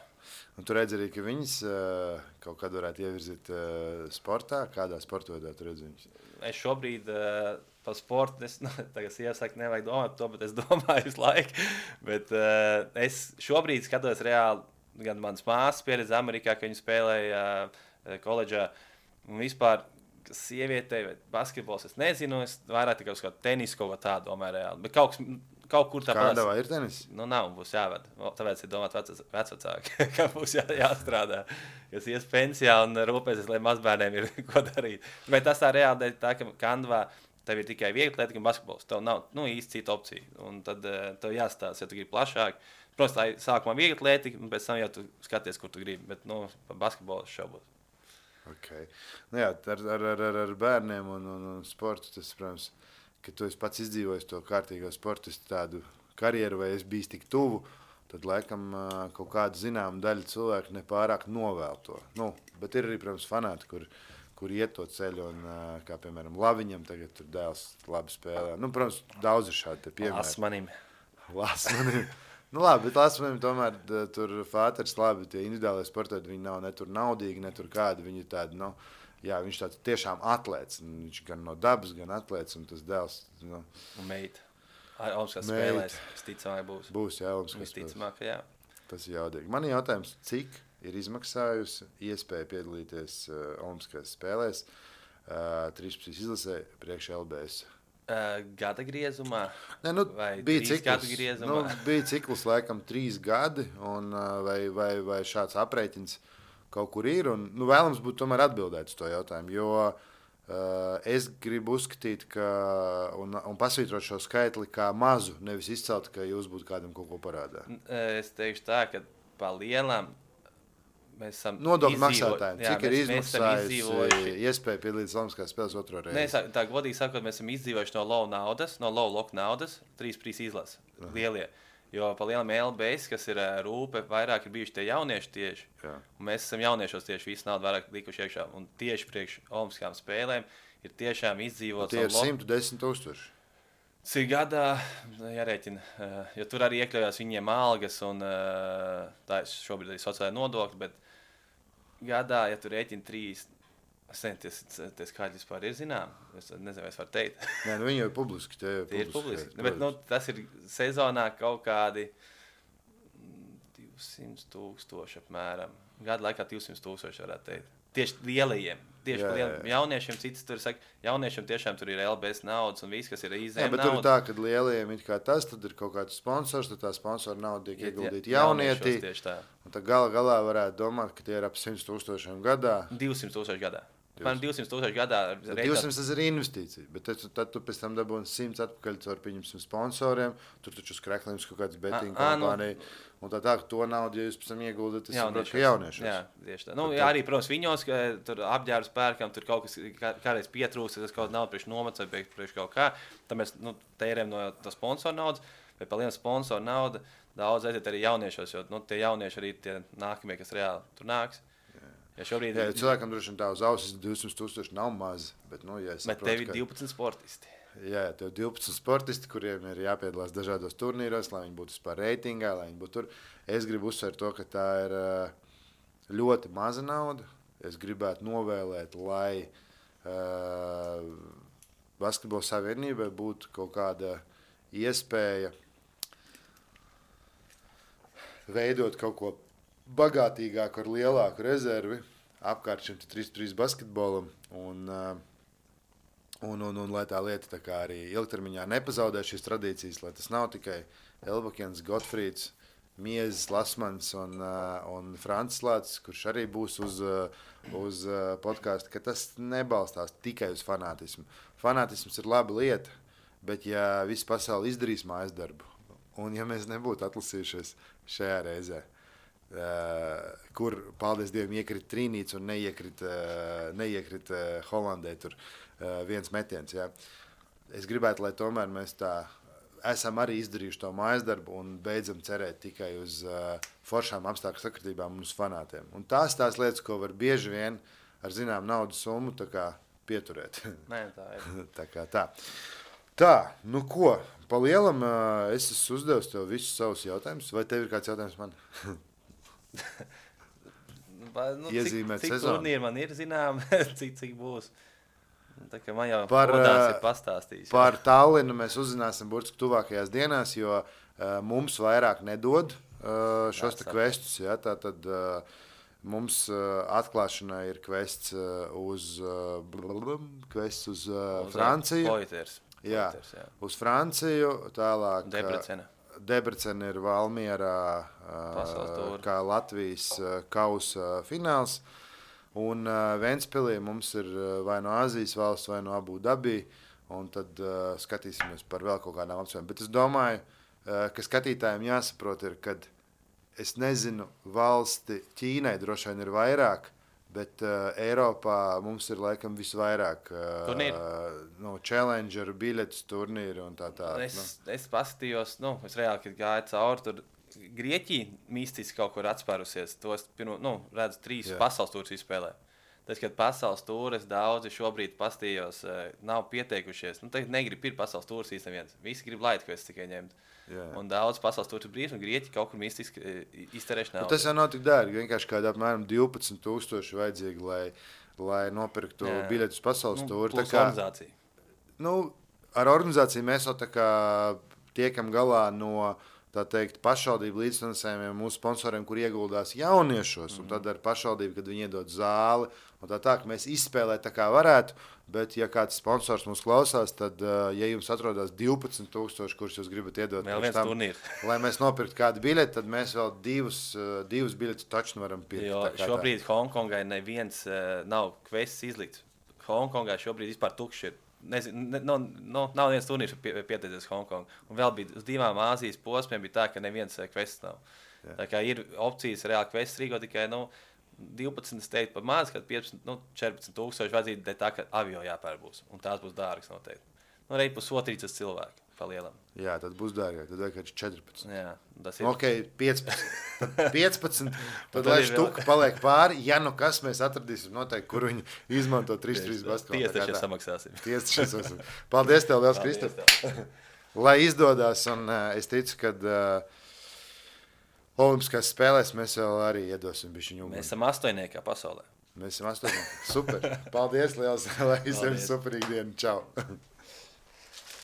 Un tu redz arī, ka viņas uh, kaut kad varētu ievirzīt uh, sportā. Kādā sporta veidā tu redz viņas? Es šobrīd uh, par sportu, es, nu, tagad iesaka, nevajag domāt par to, bet es domāju visu laiku. Bet uh, es šobrīd skatos reāli, gan manas māsas pieredzi Amerikā, ka viņi spēlēja uh, koledžā. Un vispār, kas sievietei vai basketbols, es nezinu, es vairāk tikai uz kādu tenisu kaut ko tādu domāju reāli. Bet kaut kas... Kaut kur tā Kādā vai ir tenis? Nu, nav, būs jāved. Tāpēc ir domāt vecvecāki, ka būs jā, jāstrādā. Kas ies pensijā un rūpēsies, lai mazbērniem ir ko darīt. Bet tas tā reāli tā, ka Kandavā tev ir tikai vieglatlētika un basketbols. Tev nav nu, īsti cita opcija. Un tad uh, tev jāstāsta, ja tu gribi plašāk. Protams, tā ir sākumā vieglatlētika, un pēc tam jau tu skaties, kur tu gribi. Bet nu, par basketbolu šaubos. Okay. Nu, jā, ar, ar, ar, ar bērniem un, un, un sportu tas, protams, ka tu esi pats izdzīvojis to kārtīgo sportistu tādu karjeru, vai es biju tik tuvu, tad laikam kaut kāda zināma daļa cilvēku nepārāk novēl to. Nu, bet ir arī, protams, fanāti, kur, kur iet to ceļu, un kā, piemēram, Laviņam tagad tur dēls labi spēlē. Nu, protams, daudz ir šādi te piemēri. Lasmanim. Lasmanim. Nu, labi, bet Lasmanim tomēr tur fāters labi, tie individuālie sportēti, viņi nav ne tur naudīgi, ne tur kādi, viņi ir tādi, nu, jā, viņš tāds tiešām atlēts. Viņš gan no dabas, gan atlēts, un tas dēls. Nu, un meita. Olimpiskās spēlēs, visticamāk būs. Būs, jā, Olimpiskās spēlēs. Visticamāk, jā. Tas ir jaudīgi. Man ir jautājums, cik ir izmaksājusi iespēja piedalīties uh, Olimpiskās spēlēs uh, trīspadsmit izlasē priekš L B S? Uh, gada griezumā? Ne, nu, vai bija trīs ciklus, gadu griezumā? Nu, bija ciklus laikam trīs gadi, un, uh, vai, vai, vai šāds aprēķins kaut kur ir, un nu, vēlams būtu tomēr atbildēt uz to jautājumu, jo uh, es gribu uzskatīt, ka, un, un pasvītrot šo skaitli kā mazu, nevis izcelt, ka jūs būtu kādam kaut ko parādā. Es teikšu tā, ka pa lielām mēs esam nodokļu izdzīvo... maksātājiem. Cik jā, ir mēs, izmaksājis iespēja piedalīties Olimpiskās spēles otro reizi? Nē, tā godīgi sakot, mēs esam izdzīvojuši no low naudas, no low lock naudas, trīs prīs izlases, lielie. Jo pa lielam L B S, kas ir rūpe, vairāk ir bijuši tie jaunieši tieši. Jā. Un mēs esam jauniešos tieši visu naudu vairāk likuši iekšā. Un tieši priekš Olimpiskām spēlēm ir tiešām izdzīvots. Tie ir simt desmit tūkstoši. Tas ir gadā, jārēķina, jo tur arī iekļaujās viņiem algas un tā ir šobrīd arī sociālai nodokļi, bet gadā, ja tu rēķini trīs, es nezinu, tie skaļi vispār ir zinām, es nezinu, vai es varu teikt. Nē, nu viņi jau ir publiski. Tie ir tie publiski. Ir publiski, bet nu, tas ir sezonā kaut kādi divsimt tūkstoši apmēram. Gada laikā divsimt tūkstoši varētu teikt. Tieši lielajiem, tieši jā, lieliem jā. Jauniešiem, citas tur saka, jauniešiem tiešām tur ir L B S naudas un viss, kas ir izēm naudas. Jā, bet tur ir tā, ka lielajiem ir kā tas, tad ir kaut kāds sponsors, tad tā sponsora nauda tiek ieguldīta jaunietī. Tieši tā. Un tad gala galā varētu domāt, ka tie ir ap simt tūkstošiem gadā. divsimt tūkstoši gadā. apmēram divsimt tūkstoši gadā. divsimt tas ir investīcija, bet tad, tad tu pēc tam dabūni simts atpakaļ caur pieņemsim sponsoriem, tur taču uz kreklījums kaut kāds betting kompānija, nu, un tā tā, ka to naudu, ja jūs pēc tam ieguldat, tas saprot, ka jauniešos. Jā, tieši tā. Nu, jā, arī, protams, viņos, ka tur apģērbs pērkam, tur kaut kas kādreiz pietrūks, tas kaut naudu priekš nomats vai priekš kaut kā, tad mēs, nu, tērējam no tā sponsora naudas, vai pa lienu sponsora nauda, daudz aiziet arī jauniešos, jo, nu, tie jaunieši arī tie nākamie, kas reāli tur nāks. Ja šobrīd... Jā, cilvēkam droši vien tā uz ausis divsimt tūkstoši nav maz, bet, nu, ja es saprotu, bet tev ir divpadsmit sportisti. Jā, tev ir divpadsmit sportisti, kuriem ir jāpiedalās dažādos turnīros, lai viņi būtu vispār reitingā, lai viņi būtu tur. Es gribu uzsvērt to, ka tā ir ļoti maza nauda. Es gribētu novēlēt, lai uh, Basketbola savienībai būtu kaut kāda iespēja veidot kaut ko bagātīgāku ar lielāku rezervi apkārt šim trīs trīs basketbolam un, un, un, un lai tā lieta tā kā arī ilgtermiņā nepazaudē šīs tradīcijas, lai tas nav tikai Elbakens, Gotfrīds, Miezis, Lasmans un, un Francis Lācis, kurš arī būs uz, uz podcastu, ka tas nebalstās tikai uz fanātismu. Fanātisms ir laba lieta, bet ja viss pasauli izdarīs mājas darbu, un ja mēs nebūtu atlasījušies šajā reizē, Uh, kur, paldies Dievam, iekrit Trīnīts un neiekrit, uh, neiekrit uh, Holandē tur uh, viens metiens. Jā. Es gribētu, lai tomēr mēs tā esam arī izdarījuši to mājas darbu un beidzam cerēt tikai uz uh, foršām apstākļu sakritībām un uz fanātiem. Un tās tās lietas, ko var bieži vien ar zinām naudas summu tā kā pieturēt. Nē, tā ir. tā kā tā. Tā, nu ko, pa lielam uh, es esmu uzdevis tev visus savus jautājumus, vai tev ir kāds jautājums man? nu, Iezīmēt cik, cik sezonu. Turnīri man ir zinām, cik, cik būs. Tā kā man jau par, podās ir pastāstījis. Par Tallinu mēs uzzināsim burtiski tuvākajās dienās, jo uh, mums vairāk nedod uh, šos te kvestus. Ja, tā tad uh, mums uh, atklāšanai ir kvests uh, uz, uh, blablabla, kvests uz uh, uz Franciju. Poiters. Jā, Poiters, jā, uz Franciju, tālāk. Debrecena. Debrecena ir Valmierā uh, kā Latvijas uh, kausa fināls, un uh, Ventspilī mums ir uh, vai no Āzijas valsts, vai no Abu Dabī, un tad uh, skatīsimies par vēl kaut kādām apsvērumiem. Bet es domāju, uh, ka skatītājiem jāsaprot ir, kad es nezinu, valsti Ķīnai droši vien ir vairāk, bet uh, Eiropā mums ir laikam visvairāk uh, no Challenger, biļetes turnīri un tā tā. Es, nu. es paskatījos, nu, es reāli, kad gāju cauri, tur Grieķija mistiski kaut kur atspērusies. To es pirmo, nu, redzu, trīs Jā. pasaules tūrus izspēlē. Tas, kad pasaules tūres daudzi šobrīd pastījos, nav pieteikušies. Nu, tagad negrib pirkt pasaules tūrus īsti neviens. Visi grib laitu, ko es tikai ņemt. Jā. Un daudz pasaules tūrus brīvs, un Grieķi kaut kur mistiski izterēš naudu. Tas jau nav tik dārgi. Vienkārši kādā apmēram divpadsmit tūkstoši vajadzīgi, lai, lai nopirktu Jā. biļetus pasaules nu, tūri. Plus kā, organizācija. Nu, ar organizāciju mēs jau tā kā tiekam galā no tā teikt, pašvaldību līdzfinansējumiem mūsu sponsoriem, kur ieguldās jauniešos, mm. un tad ar pašvaldību, kad viņi iedod zāli, un tā tā, ka mēs izspēlēt tā kā varētu, bet ja kāds sponsors mums klausās, tad, ja jums atrodas divpadsmit tūkstoši, kurus jūs gribat iedot, vēl viens tam, turnīrs. Lai mēs nopirktu kādu biļeti, tad mēs vēl divus, divus biļetus taču varam pirkt. Jo šobrīd tā. Hongkongai neviens uh, nav kvests izlikts. Hongkongai šobrīd vispār tukši ir. Nezinu, ne, no, no, nav viens turnīrs pie, pieteicies Hongkongu. Un vēl bija uz divām Āzijas posmiem bija tā, ka neviens kvests nav. Jā. Tā kā ir opcijas reāli kvests rīko tikai, nu, divpadsmit teikt par maz, kad piecpadsmit, nu, četrpadsmit tūkstoši vajadzīgi, bet tā, ka avio jāpēr būs. Un tās būs dārgas noteikti. Nu, arī pusotrīcas cilvēku pa lielam. Jā, tad būs dārgāk, tad vajag četrpadsmit. Jā, tas ir. Ok, piecpadsmit. Tad piecpadsmit, tad lai štuka paliek pāri, ja nu kas mēs atradīsim noteikti, kur viņi izmanto trīs trīs basketbolu. Tiesa taču samaksāsim. Tiesa taču samaksāsim. Paldies tev, liels Kristap. Lai izdodas, un uh, es ticu, kad uh, Olimpiskās spēlēs mēs vēl arī iedosim bišķiņu uguni. Mēs esam astoņniekā pasaulē. Mēs esam astoņniekā. Super. Paldies liels, lai visiem superīgi dienu. Čau.